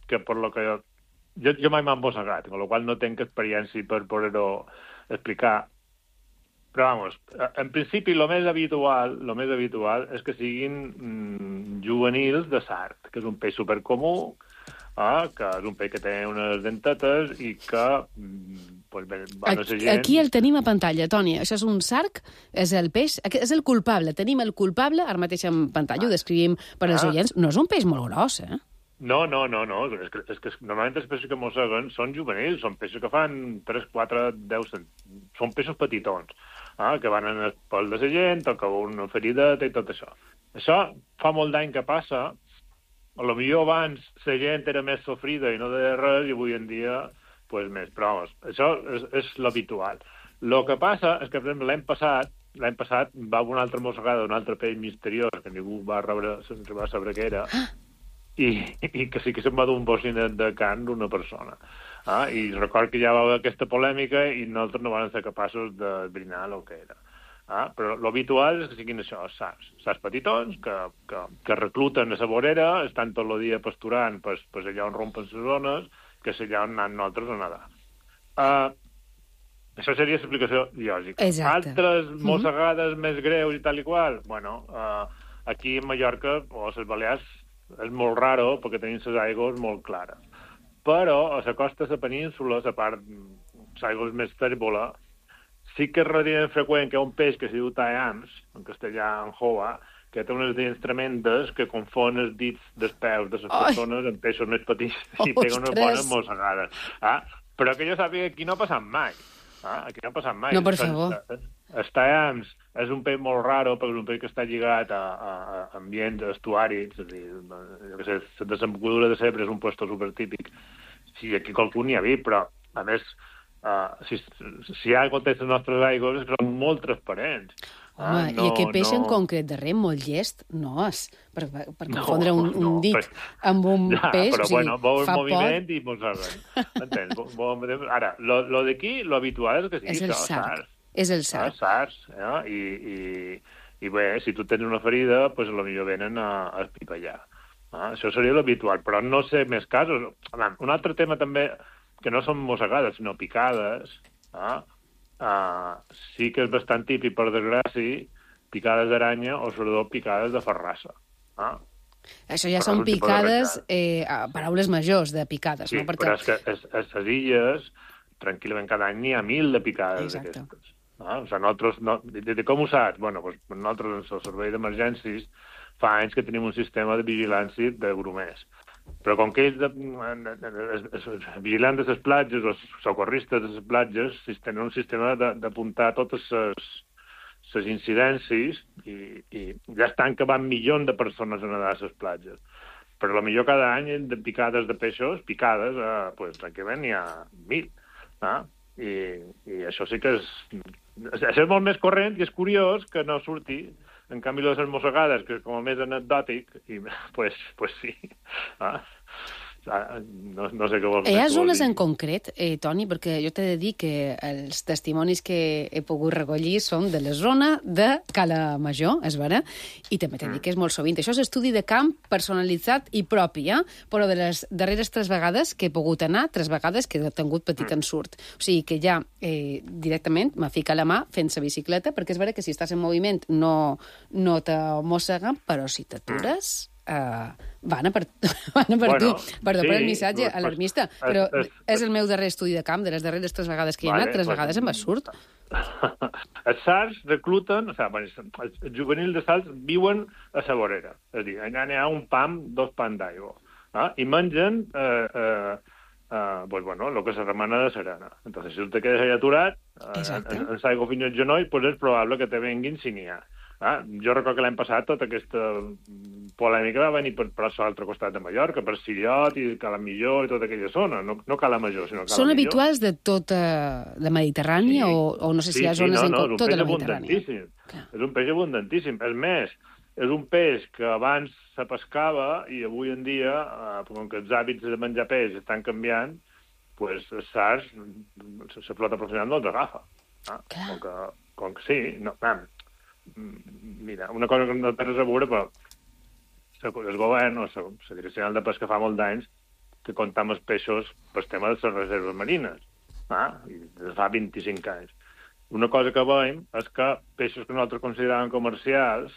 Speaker 13: que per lo que jo, jo, jo mai m'han mossegat, amb la qual no tinc experiència per poder-ho explicar, però, vamos, en principi, el més habitual, lo més habitual és que siguin mm, juvenils de sard, que és un peix supercomú, eh, que és un peix que té unes dentetes i que pues, van a ser gent...
Speaker 2: Aquí el tenim a pantalla, Toni. Això és un sarg, és el peix, és el culpable. Tenim el culpable, ara mateix en pantalla, ho descrivim per als
Speaker 13: Ah.
Speaker 2: oients. No és un peix molt gros, eh?
Speaker 13: No, no, no, no. És que, és que normalment els peixos que mosseguen són juvenils, són peixos que fan tres, quatre, deu... cent... Són peixos petitons, eh, que van en el pol de la gent, o que una ferideta i tot això. Això fa molt d'any que passa. A lo millor abans la gent era més sofrida i no deia res, i avui en dia, pues, més. Però, vamos, això és, és l'habitual. El que passa és que, per exemple, l'any passat, l'any passat va una altra mossegada d'un altre peix misteriós, que ningú va, rebre, va saber què era, i, i que sí que se'n va dur un bocinet de carn d'una persona. Ah, I record que ja va haver aquesta polèmica i nosaltres no vam ser capaços d'esbrinar el que era. Ah, però l'habitual és que siguin això, sars. Sars petitons, que, que, que recluten a la vorera, estan tot el dia pasturant pues, pues allà on rompen les zones, que és allà on anem nosaltres a nedar. Uh, això seria l'explicació lògica.
Speaker 2: Exacte.
Speaker 13: Altres mossegades mm-hmm. més greus i tal i qual, bueno, uh, aquí a Mallorca o a les Balears és molt raro perquè tenim les aigües molt clares. Però a la costa de la península, a part les aigües més tèrbola, sí que és relativament freqüent que hi ha un peix que s'hi diu taeams, en castellà, en hoa, que té unes dents tremendes que confon els dits dels peus de les persones amb peixos més petits i pega unes bones mossegades. Ah, però que jo sàpiga, aquí no ha passat mai. Ah, aquí no ha passat mai.
Speaker 2: No, per favor.
Speaker 13: Els taeams és un peix molt raro, perquè és un peix que està lligat a, a, a ambients estuaris, és a dir, jo què sé, la desembocadura de Segre és un puesto supertípic. Sí, aquí qualcú n'hi ha vist, però, a més, Uh, si, si hi ha aigua a les nostres aigües és que són molt transparents.
Speaker 2: Home,
Speaker 13: ah, no,
Speaker 2: i aquest peix
Speaker 13: no...
Speaker 2: en concret darrer, molt llest, no és per, per
Speaker 13: no,
Speaker 2: confondre un, un
Speaker 13: no,
Speaker 2: dit
Speaker 13: però...
Speaker 2: amb un
Speaker 13: ja,
Speaker 2: peix,
Speaker 13: però,
Speaker 2: o sigui,
Speaker 13: bueno, veu el
Speaker 2: fa
Speaker 13: moviment
Speaker 2: pot...
Speaker 13: i mosseguen. M'entens? Ara, lo, lo d'aquí, lo habitual és que sigui
Speaker 2: és el
Speaker 13: això,
Speaker 2: sars.
Speaker 13: sars.
Speaker 2: És el sars.
Speaker 13: Ah, sars, eh? I, i, i bé, si tu tens una ferida, pues, potser venen a, a espipallar. Ah, això seria l'habitual, però no sé més casos. Un altre tema també, que no són mossegades, sinó picades, ah, ah, sí que és bastant típic, per desgràcia, picades d'aranya o sobretot picades de ferrassa. Ah.
Speaker 2: Això ja són picades, eh, paraules majors de picades,
Speaker 13: sí,
Speaker 2: no? Perquè...
Speaker 13: però és que a les illes, tranquil·lament, cada any n'hi ha mil de picades d'aquestes. Ah, o sigui, nosaltres, no, de, de com ho saps? Bueno, doncs, nosaltres, en el servei d'emergències, fa anys que tenim un sistema de vigilància de grumers. Però com que ells, de, de, de, de, de, vigilants de les platges, els socorristes de les platges, tenen un sistema d'apuntar totes les, les incidències i, i ja estan que van milions de persones a nedar a les platges. Però potser cada any de picades de peixos, picades, eh, pues, tranquil·lament n'hi ha mil. Ah? I, I això sí que és... És molt més corrent i és curiós que no surti. En canvi, les mossegades, que és com a més anecdòtic, i, pues, pues sí. Ah, no, no sé què vols dir.
Speaker 2: Hi ha zones en concret, eh, Toni, perquè jo t'he de dir que els testimonis que he pogut recollir són de la zona de Cala Major, és vera, i també t'he de dir que és molt sovint. Això és estudi de camp personalitzat i propi, eh? Però de les darreres tres vegades que he pogut anar, tres vegades que he tingut petit ensurt. O sigui que ja eh, directament me fica la mà fent la bicicleta, perquè és vera que si estàs en moviment no, no te mosseguen, però si t'atures... Uh, van a per, van a per
Speaker 13: bueno,
Speaker 2: tu. Perdó sí, per el missatge
Speaker 13: pues,
Speaker 2: alarmista,
Speaker 13: pues,
Speaker 2: però
Speaker 13: és,
Speaker 2: és, és el meu darrer estudi de camp, de les darreres tres vegades que hi he
Speaker 13: vale,
Speaker 2: anat, tres
Speaker 13: pues,
Speaker 2: vegades em va surt.
Speaker 13: Els sars recluten, o sigui, els juvenils de sals viuen a la vorera, és a dir, allà n'hi ha un pam, dos pans d'aigua, eh? I mengen eh, eh, eh, pues, bueno, el que se remana de serena. Entonces, si te quedes allà aturat, eh, en, en l'aigua fins al genoll, pues és probable que te venguin si n'hi ha. Ah, jo recordo que l'any passat tota aquesta polèmica va venir per, per l'altre costat de Mallorca, per Sillot i Cala Millor i tota aquella zona, no, no Cala Major, sinó Cala
Speaker 2: Són
Speaker 13: Millor.
Speaker 2: habituals de tota la Mediterrània sí. o, o no sé si
Speaker 13: sí,
Speaker 2: hi ha zones
Speaker 13: sí, no,
Speaker 2: en
Speaker 13: no,
Speaker 2: tota la Mediterrània?
Speaker 13: És un peix abundantíssim. És més, és un peix que abans se pescava i avui en dia, eh, com que els hàbits de menjar peix estan canviant, pues, els sars, la flota professional no els agafa. Ah? Com, que, com que sí, no, vam, mira, una cosa que no té res a veure, però el govern o la Direcció General de Pesca fa molt d'anys que compta amb els peixos pel tema de les reserves marines, ah? I fa vint-i-cinc anys. una cosa que veiem és que peixos que nosaltres consideràvem comercials,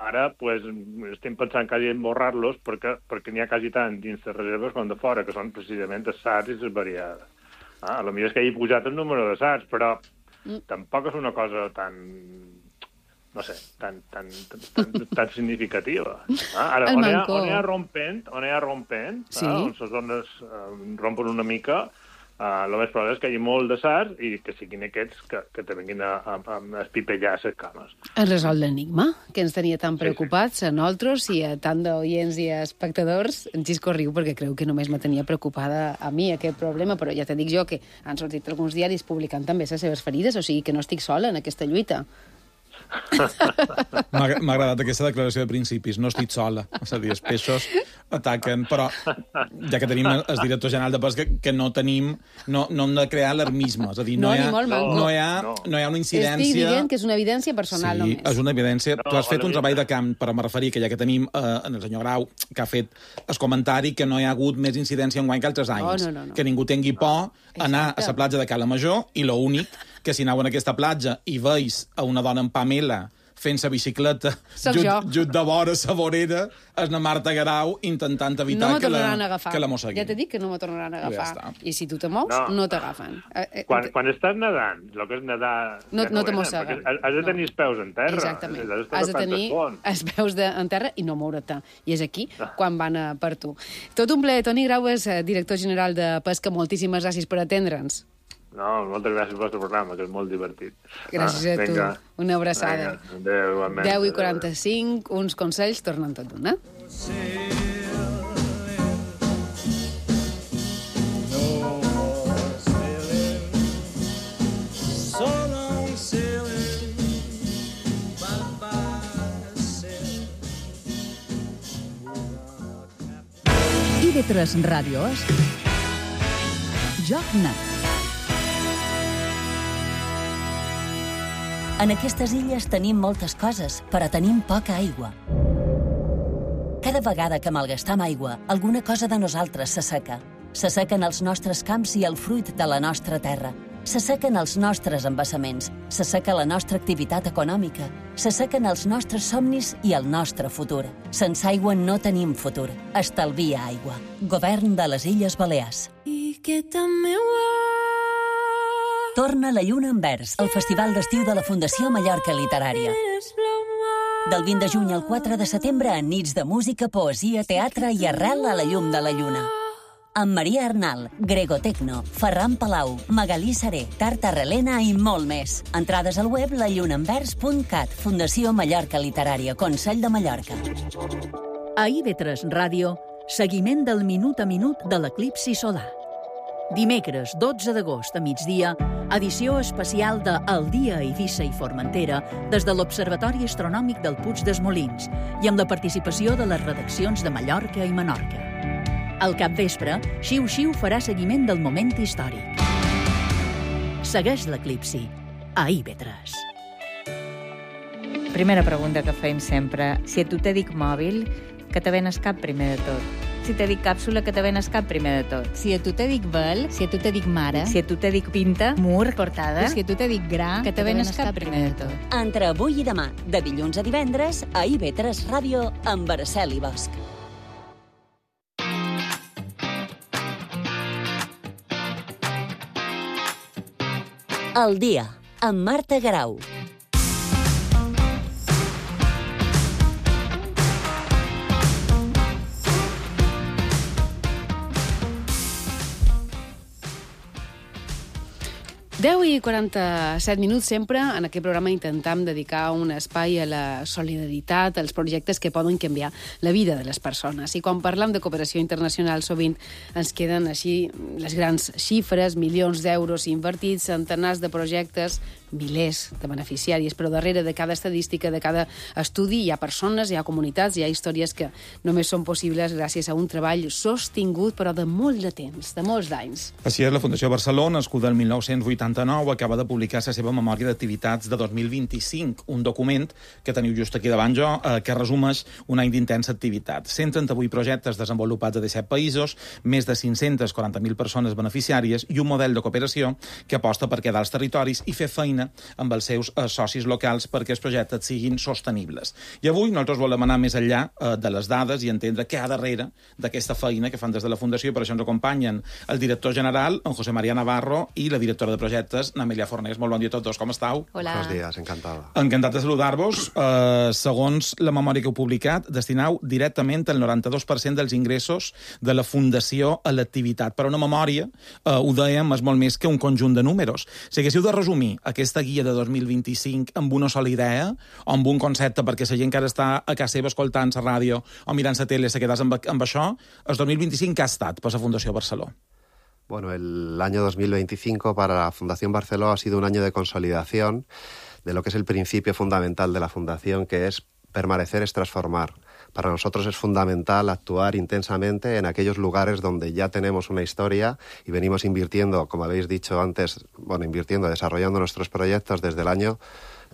Speaker 13: ara pues, estem pensant quasi en borrar-los perquè, perquè n'hi ha quasi tant dins les reserves com de fora, que són precisament les sards i les variades. Ah, potser és que hi he pujat el número de sards, però mm. tampoc és una cosa tan... no sé, tan, tan, tan, tan significativa. Ah, ara, on hi, ha, on hi ha rompent, on hi ha rompent, sí. ah, on les zones eh, rompen una mica, eh, el més probable és que hi hagi molt de sards i que siguin aquests que, que te vinguin a, a, a espipellar les cames.
Speaker 2: Es resol l'enigma, que ens tenia tan preocupats sí, sí. a nosaltres i a tant d'oients i a espectadors. En Xisco riu perquè creu que només me tenia preocupada a mi aquest problema, però ja te dic jo que han sortit alguns diaris publicant també les seves ferides, o sigui que no estic sola en aquesta lluita.
Speaker 3: M'ha agradat aquesta declaració de principis. No estic sola. És a dir, els peixos ataquen, però ja que tenim el director general de pesca, que no tenim, no, no hem de crear alarmisme. És a dir, no, no, hi, ha, no, hi, ha, no hi ha una incidència...
Speaker 2: Estic dient que és una evidència personal
Speaker 3: sí,
Speaker 2: només.
Speaker 3: Sí, és una evidència. No, tu has fet un treball de camp, però me referia que ja que tenim eh, en el senyor Grau, que ha fet el comentari que no hi ha hagut més incidència enguany que altres anys.
Speaker 2: Oh, no, no, no.
Speaker 3: Que ningú tingui por no. anar a la platja de Cala Major i l'únic que si aneu en aquesta platja i veus a una dona amb Pamela fent sa bicicleta just, just de vora sa vorera, és la Marta Garau intentant evitar
Speaker 2: no
Speaker 3: que, la,
Speaker 2: que
Speaker 3: la mosseguin.
Speaker 2: Ja t'he dit que no me tornaran a agafar. Ja I si tu te mous, no, no t'agafen.
Speaker 13: Quan, quan estàs nedant, el que és nedar...
Speaker 2: No, no te mosseguen.
Speaker 13: Has de tenir els peus en terra.
Speaker 2: Exactament. Has de tenir els peus de, en terra i no moure't. I és aquí quan van a per tu. Tot un plaer. Toni Grau és director general de Pesca. Moltíssimes gràcies per atendre'ns.
Speaker 13: No, moltes gràcies pel vostre programa, que és molt divertit.
Speaker 2: Gràcies ah, a tu. Venga. Una abraçada.
Speaker 13: Adéu, igualment.
Speaker 2: deu i quaranta-cinc, uns consells tornen tot d'una.
Speaker 1: I V tres Ràdio és Joc Net.
Speaker 5: En aquestes illes tenim moltes coses, però tenim poca aigua. Cada vegada que malgastam aigua, alguna cosa de nosaltres s'asseca. S'assequen els nostres camps i el fruit de la nostra terra. S'assequen els nostres embassaments, s'asseca la nostra activitat econòmica, s'assequen els nostres somnis i el nostre futur. Sense aigua no tenim futur. Estalvia aigua. Govern de les Illes Balears.
Speaker 14: I que també ho
Speaker 5: Torna la lluna en vers, el festival d'estiu de la Fundació Mallorca Literària. Del vint de juny al quatre de setembre, en nits de música, poesia, teatre i arrel a la llum de la lluna. Amb Maria Arnal, Grego Tecno, Ferran Palau, Magalí Seré, Tarta Relena i molt més. Entrades al web la lluna en vers punt cat, Fundació Mallorca Literària, Consell de Mallorca.
Speaker 1: A I V tres Ràdio, seguiment del minut a minut de l'eclipsi solar. Dimecres, dotze d'agost a migdia, edició especial de El dia a Eivissa i Formentera des de l'Observatori Astronòmic del Puig dels Molins i amb la participació de les redaccions de Mallorca i Menorca. Al capvespre, Xiu Xiu farà seguiment del moment històric. Segueix l'eclipsi a I V tres.
Speaker 15: Primera pregunta que fem sempre. Si a tu te dic mòbil, que te venes cap primer de tot? Si te dic càpsula, que te venes cap primer de tot?
Speaker 16: Si a tu te dic vel, si a tu te dic mare,
Speaker 15: si a tu te dic pinta, mur, portada,
Speaker 16: si a tu te dic gra,
Speaker 15: que te venes cap primer de tot?
Speaker 5: Entre avui i demà, de dilluns a divendres, a I V tres Ràdio, amb Araceli Bosch. El dia, amb Marta Garau.
Speaker 2: deu i quaranta-set minuts sempre. En aquest programa intentam dedicar un espai a la solidaritat, als projectes que poden canviar la vida de les persones. I quan parlam de cooperació internacional sovint ens queden així les grans xifres, milions d'euros invertits, centenars de projectes, milers de beneficiaris, però darrere de cada estadística, de cada estudi, hi ha persones, hi ha comunitats, hi ha històries que només són possibles gràcies a un treball sostingut, però de molt de temps, de molts d'anys.
Speaker 3: Així és, la Fundació Barcelona, nascuda el mil nou-cents vuitanta-nou, acaba de publicar la seva memòria d'activitats de dos mil vint-i-cinc, un document que teniu just aquí davant jo, eh, que resumeix un any d'intensa activitat. cent trenta-vuit projectes desenvolupats a disset països, més de cinc-centes quaranta mil persones beneficiàries i un model de cooperació que aposta per quedar als territoris i fer feina amb els seus eh, socis locals perquè els projectes siguin sostenibles. I avui nosaltres volem anar més enllà eh, de les dades i entendre què hi ha darrere d'aquesta feina que fan des de la Fundació. Per això ens acompanyen el director general, en José María Navarro, i la directora de projectes, Amèlia Fornés. Molt bon dia a tots dos, com estàu?
Speaker 17: Hola. Buenos días, encantada.
Speaker 3: Encantat de saludar-vos. Uh, segons la memòria que heu publicat, destinau directament el noranta-dos per cent dels ingressos de la Fundació a l'activitat. Però una memòria, uh, ho dèiem, és molt més que un conjunt de números. Si haguéssiu de resumir aquesta guia de dos mil vint-i-cinc amb una sola idea o amb un concepte, perquè la gent que ara està a casa seva escoltant la ràdio o mirant la tele se quedés amb, amb això, el dos mil vint-i-cinc que ha estat per la Fundació Barceló?
Speaker 17: Bueno, el año dos mil veinticinco para la Fundación Barceló ha sido un año de consolidación de lo que es el principio fundamental de la Fundación, que es permanecer es transformar. Para nosotros es fundamental actuar intensamente en aquellos lugares donde ya tenemos una historia y venimos invirtiendo, como habéis dicho antes, bueno, invirtiendo, desarrollando nuestros proyectos desde el año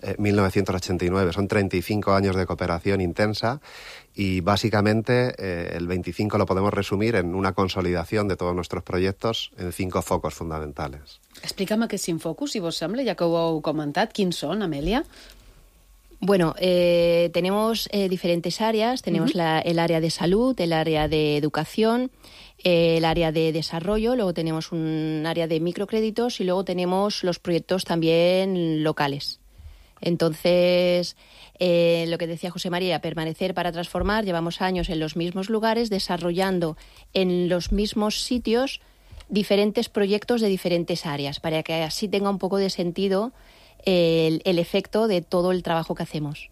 Speaker 17: eh, mil novecientos ochenta y nueve. Son treinta y cinco años de cooperación intensa y básicamente eh, el veinticinco lo podemos resumir en una consolidación de todos nuestros proyectos en cinco focos fundamentales.
Speaker 2: Explica'm aquests cinc focus, si vos sembla, ja que ho heu comentat. Quins són, Amèlia?
Speaker 18: Bueno, eh, tenemos eh, diferentes áreas. Tenemos uh-huh. la, el área de salud, el área de educación, eh, el área de desarrollo, luego tenemos un área de microcréditos y luego tenemos los proyectos también locales. Entonces, eh, lo que decía José María, permanecer para transformar. Llevamos años en los mismos lugares, desarrollando en los mismos sitios diferentes proyectos de diferentes áreas, para que así tenga un poco de sentido el, el efecto de todo el trabajo que hacemos.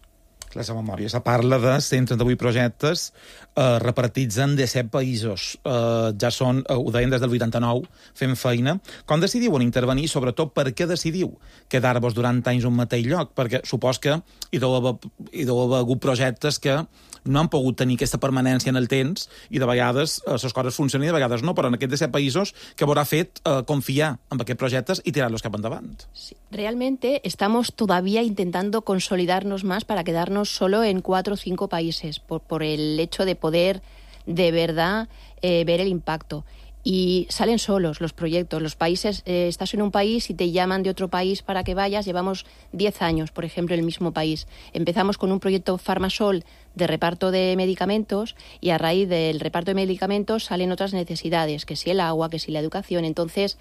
Speaker 3: La seva memòria se parla de cent trenta-vuit projectes eh, repartits en disset països. Eh, ja són, eh, ho deien des del vuitanta-nou, fent feina. Com decidiu en intervenir? Sobretot, per què decidiu quedar-vos durant anys un mateix lloc? Perquè supos que hi deu haver, hi deu haver hagut projectes que no han pogut tenir aquesta permanència en el temps i de vegades les eh, coses funcionen i de vegades no, però en aquests disset països que vos ha fet eh, confiar en aquests projectes i tirar-los cap endavant.
Speaker 18: Sí, realmente estamos todavía intentando consolidarnos más para quedarnos solo en cuatro o cinco países, por, por el hecho de poder de verdad eh, ver el impacto. Y salen solos los proyectos. Los países, eh, estás en un país y te llaman de otro país para que vayas. Llevamos diez años, por ejemplo, en el mismo país. Empezamos con un proyecto Farmasol de reparto de medicamentos y a raíz del reparto de medicamentos salen otras necesidades, que si el agua, que si la educación. Entonces,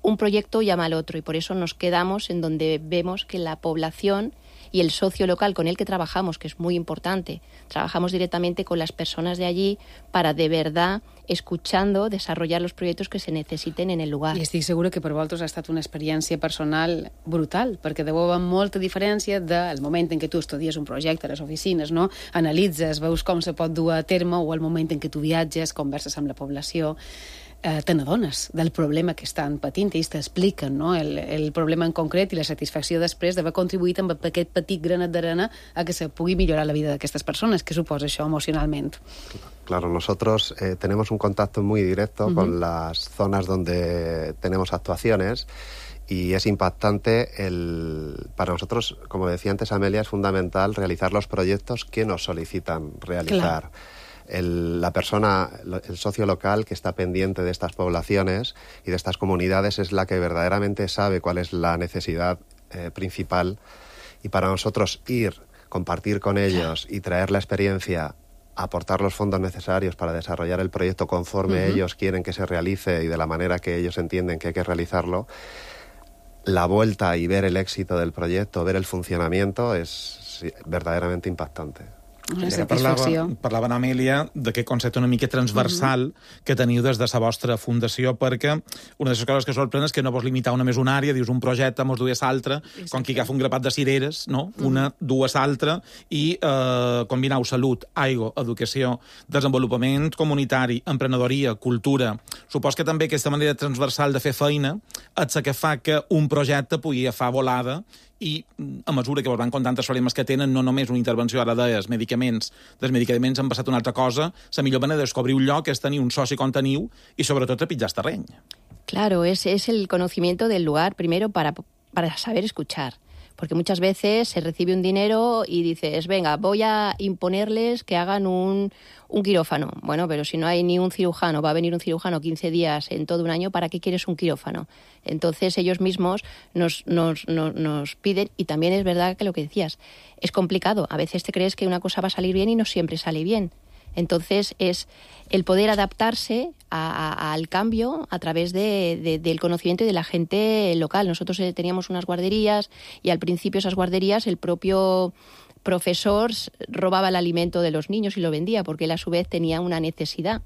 Speaker 18: un proyecto llama al otro y por eso nos quedamos en donde vemos que la población y el socio local con el que trabajamos, que es muy importante, trabajamos directamente con las personas de allí para de verdad, escuchando, desarrollar los proyectos que se necesiten en el lugar.
Speaker 2: I estic segura que per vosaltres ha estat una experiència personal brutal, perquè deu haver molta diferència del moment en què tu estudies un projecte a les oficines, no? Analitzes, veus com se pot dur a terme, o el moment en què tu viatges, converses amb la població, eh, te n'adones del problema que estan patint, ells t'expliquen, no? el, el problema en concret i la satisfacció després d'haver contribuït amb aquest petit granet d'arena a que se pugui millorar la vida d'aquestes persones. Què suposa això emocionalment?
Speaker 17: Claro, nosotros eh, tenemos un contacto muy directo uh-huh. con las zonas donde tenemos actuaciones y es impactante. El, para nosotros, como decía antes Amelia, es fundamental realizar los proyectos que nos solicitan realizar. Claro. El, la persona, el socio local que está pendiente de estas poblaciones y de estas comunidades es la que verdaderamente sabe cuál es la necesidad eh, principal, y para nosotros ir, compartir con ellos y traer la experiencia, aportar los fondos necesarios para desarrollar el proyecto conforme uh-huh. ellos quieren que se realice y de la manera que ellos entienden que hay que realizarlo, la vuelta y ver el éxito del proyecto, ver el funcionamiento es sí, verdaderamente impactante.
Speaker 2: Una
Speaker 3: Ara
Speaker 2: satisfacció.
Speaker 3: Parlava, parlava en Amèlia d'aquest concepte una mica transversal uh -huh. que teniu des de la vostra fundació, perquè una de les coses que sorprèn és que no vols limitar una més una àrea, dius un projecte, mos dues altra, com qui agafa un grapat de cireres, no? Uh -huh. Una, dues altra, i eh, combinau salut, aigua, educació, desenvolupament comunitari, emprenedoria, cultura. Supos que també aquesta manera transversal de fer feina és la que fa que un projecte pugui agafar volada i a mesura que vos van contant els problemes que tenen, no només una intervenció, ara deies, medicaments, dels medicaments han passat una altra cosa, la millor manera de descobrir un lloc és tenir un soci com teniu i sobretot trepitjar el terreny.
Speaker 18: Claro, es, es el conocimiento del lugar primero para, para saber escuchar. Porque muchas veces se recibe un dinero y dices, venga, voy a imponerles que hagan un, un quirófano. Bueno, pero si no hay ni un cirujano, va a venir un cirujano quince días en todo un año, ¿para qué quieres un quirófano? Entonces ellos mismos nos, nos, nos, nos piden, y también es verdad que lo que decías, es complicado. A veces te crees que una cosa va a salir bien y no siempre sale bien. Entonces es el poder adaptarse a, a, al cambio a través de, de, del conocimiento de la gente local. Nosotros teníamos unas guarderías y al principio esas guarderías el propio profesor robaba el alimento de los niños y lo vendía porque él a su vez tenía una necesidad.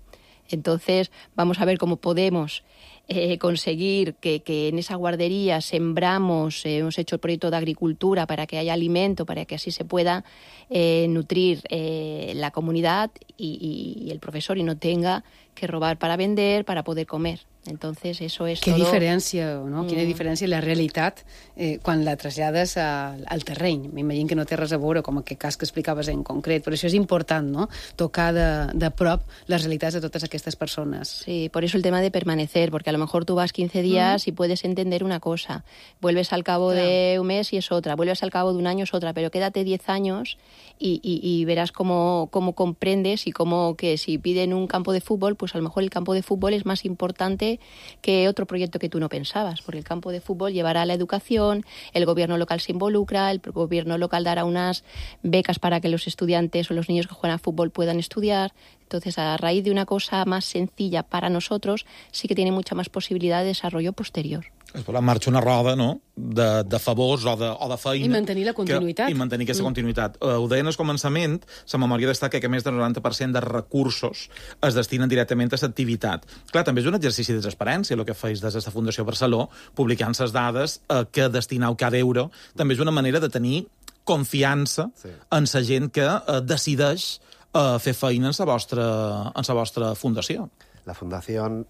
Speaker 18: Entonces vamos a ver cómo podemos eh, conseguir que, que en esa guardería sembramos, eh, hemos hecho el proyecto de agricultura para que haya alimento, para que así se pueda eh, nutrir eh, la comunidad y, y el profesor y no tenga que robar para vender, para poder comer. Entonces, eso es
Speaker 2: Qué
Speaker 18: todo...
Speaker 2: diferència, no?
Speaker 18: Mm.
Speaker 2: Quina diferència la realitat eh, quan la trasllades a, al terreny. M'imagino que no té res a veure com aquest cas que explicaves en concret, però això és important, no? Tocar de, de prop les realitats de totes aquestes persones.
Speaker 18: Sí, por eso el tema de permanecer, porque a lo mejor tú vas quince días mm. y puedes entender una cosa, vuelves al cabo claro. de un mes y es otra, vuelves al cabo de un año es otra, pero quédate diez años y, y, y verás cómo, cómo comprendes y cómo que si piden un campo de fútbol, pues a lo mejor el campo de fútbol es más importante que otro proyecto que tú no pensabas, porque el campo de fútbol llevará a la educación, el gobierno local se involucra, el gobierno local dará unas becas para que los estudiantes o los niños que juegan a fútbol puedan estudiar. Entonces, a raíz de una cosa más sencilla para nosotros, sí que tiene mucha más posibilidad de desarrollo posterior.
Speaker 3: Es pot marxar una roda, no?, de, de favors o de, o de feina.
Speaker 2: I mantenir la continuïtat.
Speaker 3: Que, I mantenir aquesta
Speaker 2: mm.
Speaker 3: continuïtat. Uh, ho deien al començament, la memòria destaca que més del noranta per cent de recursos es destinen directament a l'activitat. Clar, també és un exercici de transparència, el que feis des de la Fundació Barceló, publicant les dades uh, que destinau cada euro. També és una manera de tenir confiança sí. en la gent que uh, decideix uh, fer feina en la vostra, en la vostra fundació.
Speaker 17: La Fundación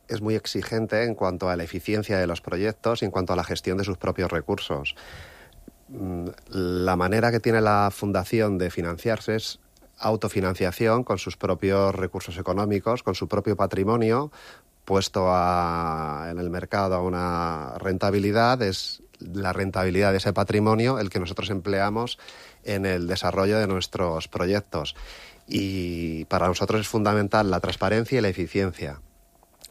Speaker 17: es muy exigente en cuanto a la eficiencia de los proyectos y en cuanto a la gestión de sus propios recursos. La manera que tiene la Fundación de financiarse es autofinanciación con sus propios recursos económicos, con su propio patrimonio, puesto a, en el mercado a una rentabilidad. Es la rentabilidad de ese patrimonio el que nosotros empleamos en el desarrollo de nuestros proyectos. Y para nosotros es fundamental la transparencia y la eficiencia.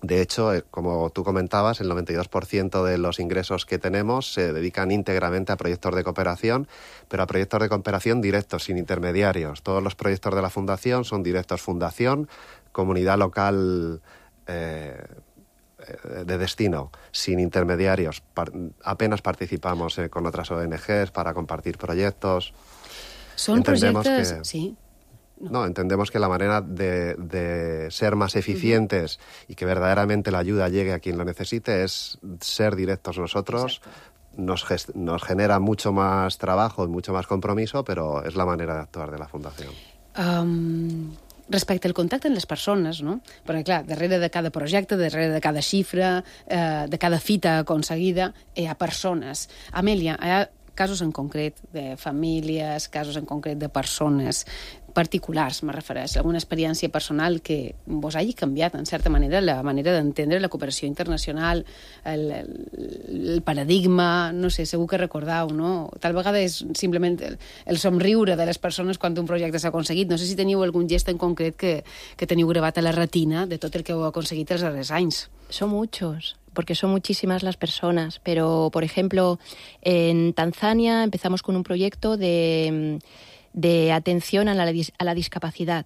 Speaker 17: De hecho, como tú comentabas, el noventa y dos por ciento de los ingresos que tenemos se dedican íntegramente a proyectos de cooperación, pero a proyectos de cooperación directos, sin intermediarios. Todos los proyectos de la Fundación son directos fundación, comunidad local eh, de destino, sin intermediarios. Par- apenas participamos eh, con otras O N Ges para compartir proyectos.
Speaker 2: Son
Speaker 17: Entendemos
Speaker 2: proyectos...
Speaker 17: que...
Speaker 2: Sí.
Speaker 17: No. no, entendemos que la manera de, de ser más eficientes uh-huh. y que verdaderamente la ayuda llegue a quien lo necesite es ser directos nosotros. Nos, gest- nos genera mucho más trabajo y mucho más compromiso, pero es la manera de actuar de la Fundación.
Speaker 2: Um, respecte al contacte amb les persones, no? Perquè, clar, darrere de cada projecte, darrere de cada xifra, eh, de cada fita aconseguida, hi ha persones. Amèlia, hi ha casos en concret de famílies, casos en concret de persones particulars, me refereix, alguna experiència personal que vos hagi canviat, en certa manera, la manera d'entendre la cooperació internacional, el, el, el paradigma, no sé, segur que recordau, no? Tal vegada és simplement el, el somriure de les persones quan un projecte s'ha aconseguit. No sé si teniu algun gest en concret que, que teniu gravat a la retina de tot el que heu aconseguit els darrers anys.
Speaker 18: Son muchos, porque son muchísimas las personas, pero, por ejemplo, en Tanzania empezamos con un proyecto de... de atención a la, a la discapacidad.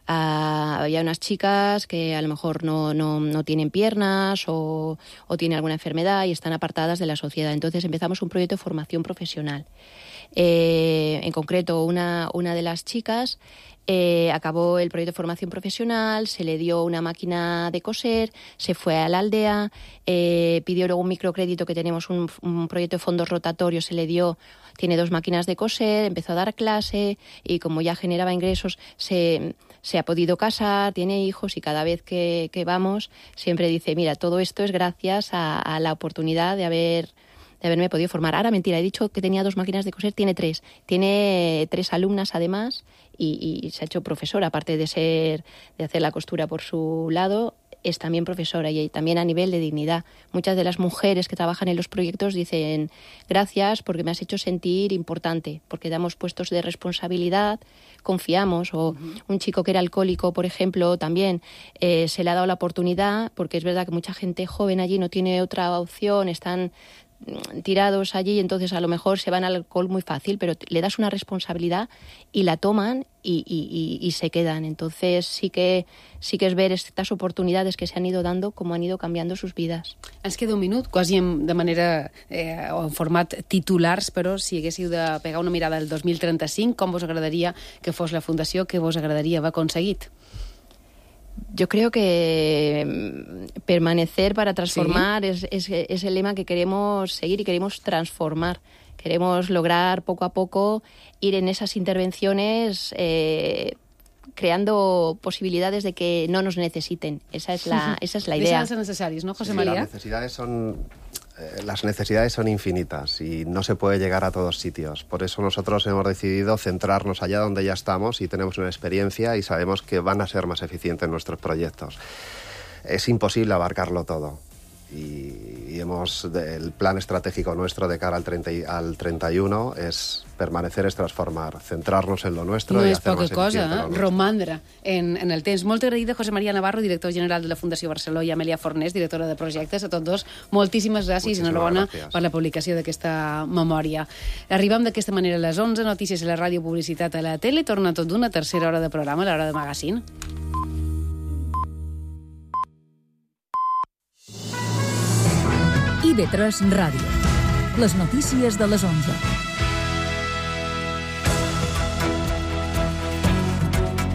Speaker 18: Uh, había unas chicas que a lo mejor no, no, no tienen piernas o, o tienen alguna enfermedad y están apartadas de la sociedad. Entonces empezamos un proyecto de formación profesional. Eh, en concreto, una, una de las chicas eh, acabó el proyecto de formación profesional, se le dio una máquina de coser, se fue a la aldea, eh, pidió luego un microcrédito, que tenemos un, un proyecto de fondos rotatorios, se le dio, tiene dos máquinas de coser, empezó a dar clase y como ya generaba ingresos, se... se ha podido casar, tiene hijos y cada vez que, que vamos siempre dice, mira, todo esto es gracias a, a la oportunidad de haber de haberme podido formar. Ahora, mentira, he dicho que tenía dos máquinas de coser, tiene tres. Tiene tres alumnas además y, y se ha hecho profesora, aparte de ser de hacer la costura por su lado, es también profesora y también a nivel de dignidad. Muchas de las mujeres que trabajan en los proyectos dicen gracias porque me has hecho sentir importante, porque damos puestos de responsabilidad, confiamos. O un chico que era alcohólico, por ejemplo, también eh, se le ha dado la oportunidad, porque es verdad que mucha gente joven allí no tiene otra opción, están tirados allí, entonces a lo mejor se van al alcohol muy fácil, pero le das una responsabilidad y la toman y, y, y, y se quedan. Entonces sí que sí que es ver estas oportunidades que se han ido dando, com han ido canviant sus vides.
Speaker 2: Ens queda un minut, quasi de manera eh, o en format titulars, però si haguéssiu de pegar una mirada al dos mil trenta-cinc, com vos agradaria que fos la fundació, què vos agradaria haver aconseguit?
Speaker 18: Yo creo que permanecer para transformar ¿Sí? es, es, es el lema que queremos seguir y queremos transformar. Queremos lograr poco a poco ir en esas intervenciones eh, creando posibilidades de que no nos necesiten. Esa es la, esa es la idea.
Speaker 2: Deixen de ser necessaris, ¿no, José
Speaker 17: sí,
Speaker 2: María?
Speaker 17: Las necesidades son... Las necesidades son infinitas y no se puede llegar a todos sitios. Por eso nosotros hemos decidido centrarnos allá donde ya estamos y tenemos una experiencia y sabemos que van a ser más eficientes nuestros proyectos. Es imposible abarcarlo todo. Y, y hemos el plan estratégico nuestro de cara al, treinta, al treinta y uno es permanecer, es transformar, centrarnos en lo nuestro
Speaker 2: no
Speaker 17: i
Speaker 2: és
Speaker 17: hacer
Speaker 2: poca
Speaker 17: más
Speaker 2: cosa,
Speaker 17: eficiente
Speaker 2: eh? Romandre en, en el temps. Molt agraïda, José María Navarro, director general de la Fundació Barceló, i Amèlia Fornés, directora de projectes. A tots dos, moltíssimes gràcies i enhorabona per la publicació d'aquesta memòria. Arribem d'aquesta manera a les onze, notícies a la ràdio, publicitat a la tele, torna tot d'una tercera hora de programa, l'hora de Magazine.
Speaker 19: I V tres Ràdio. Les notícies de les onze.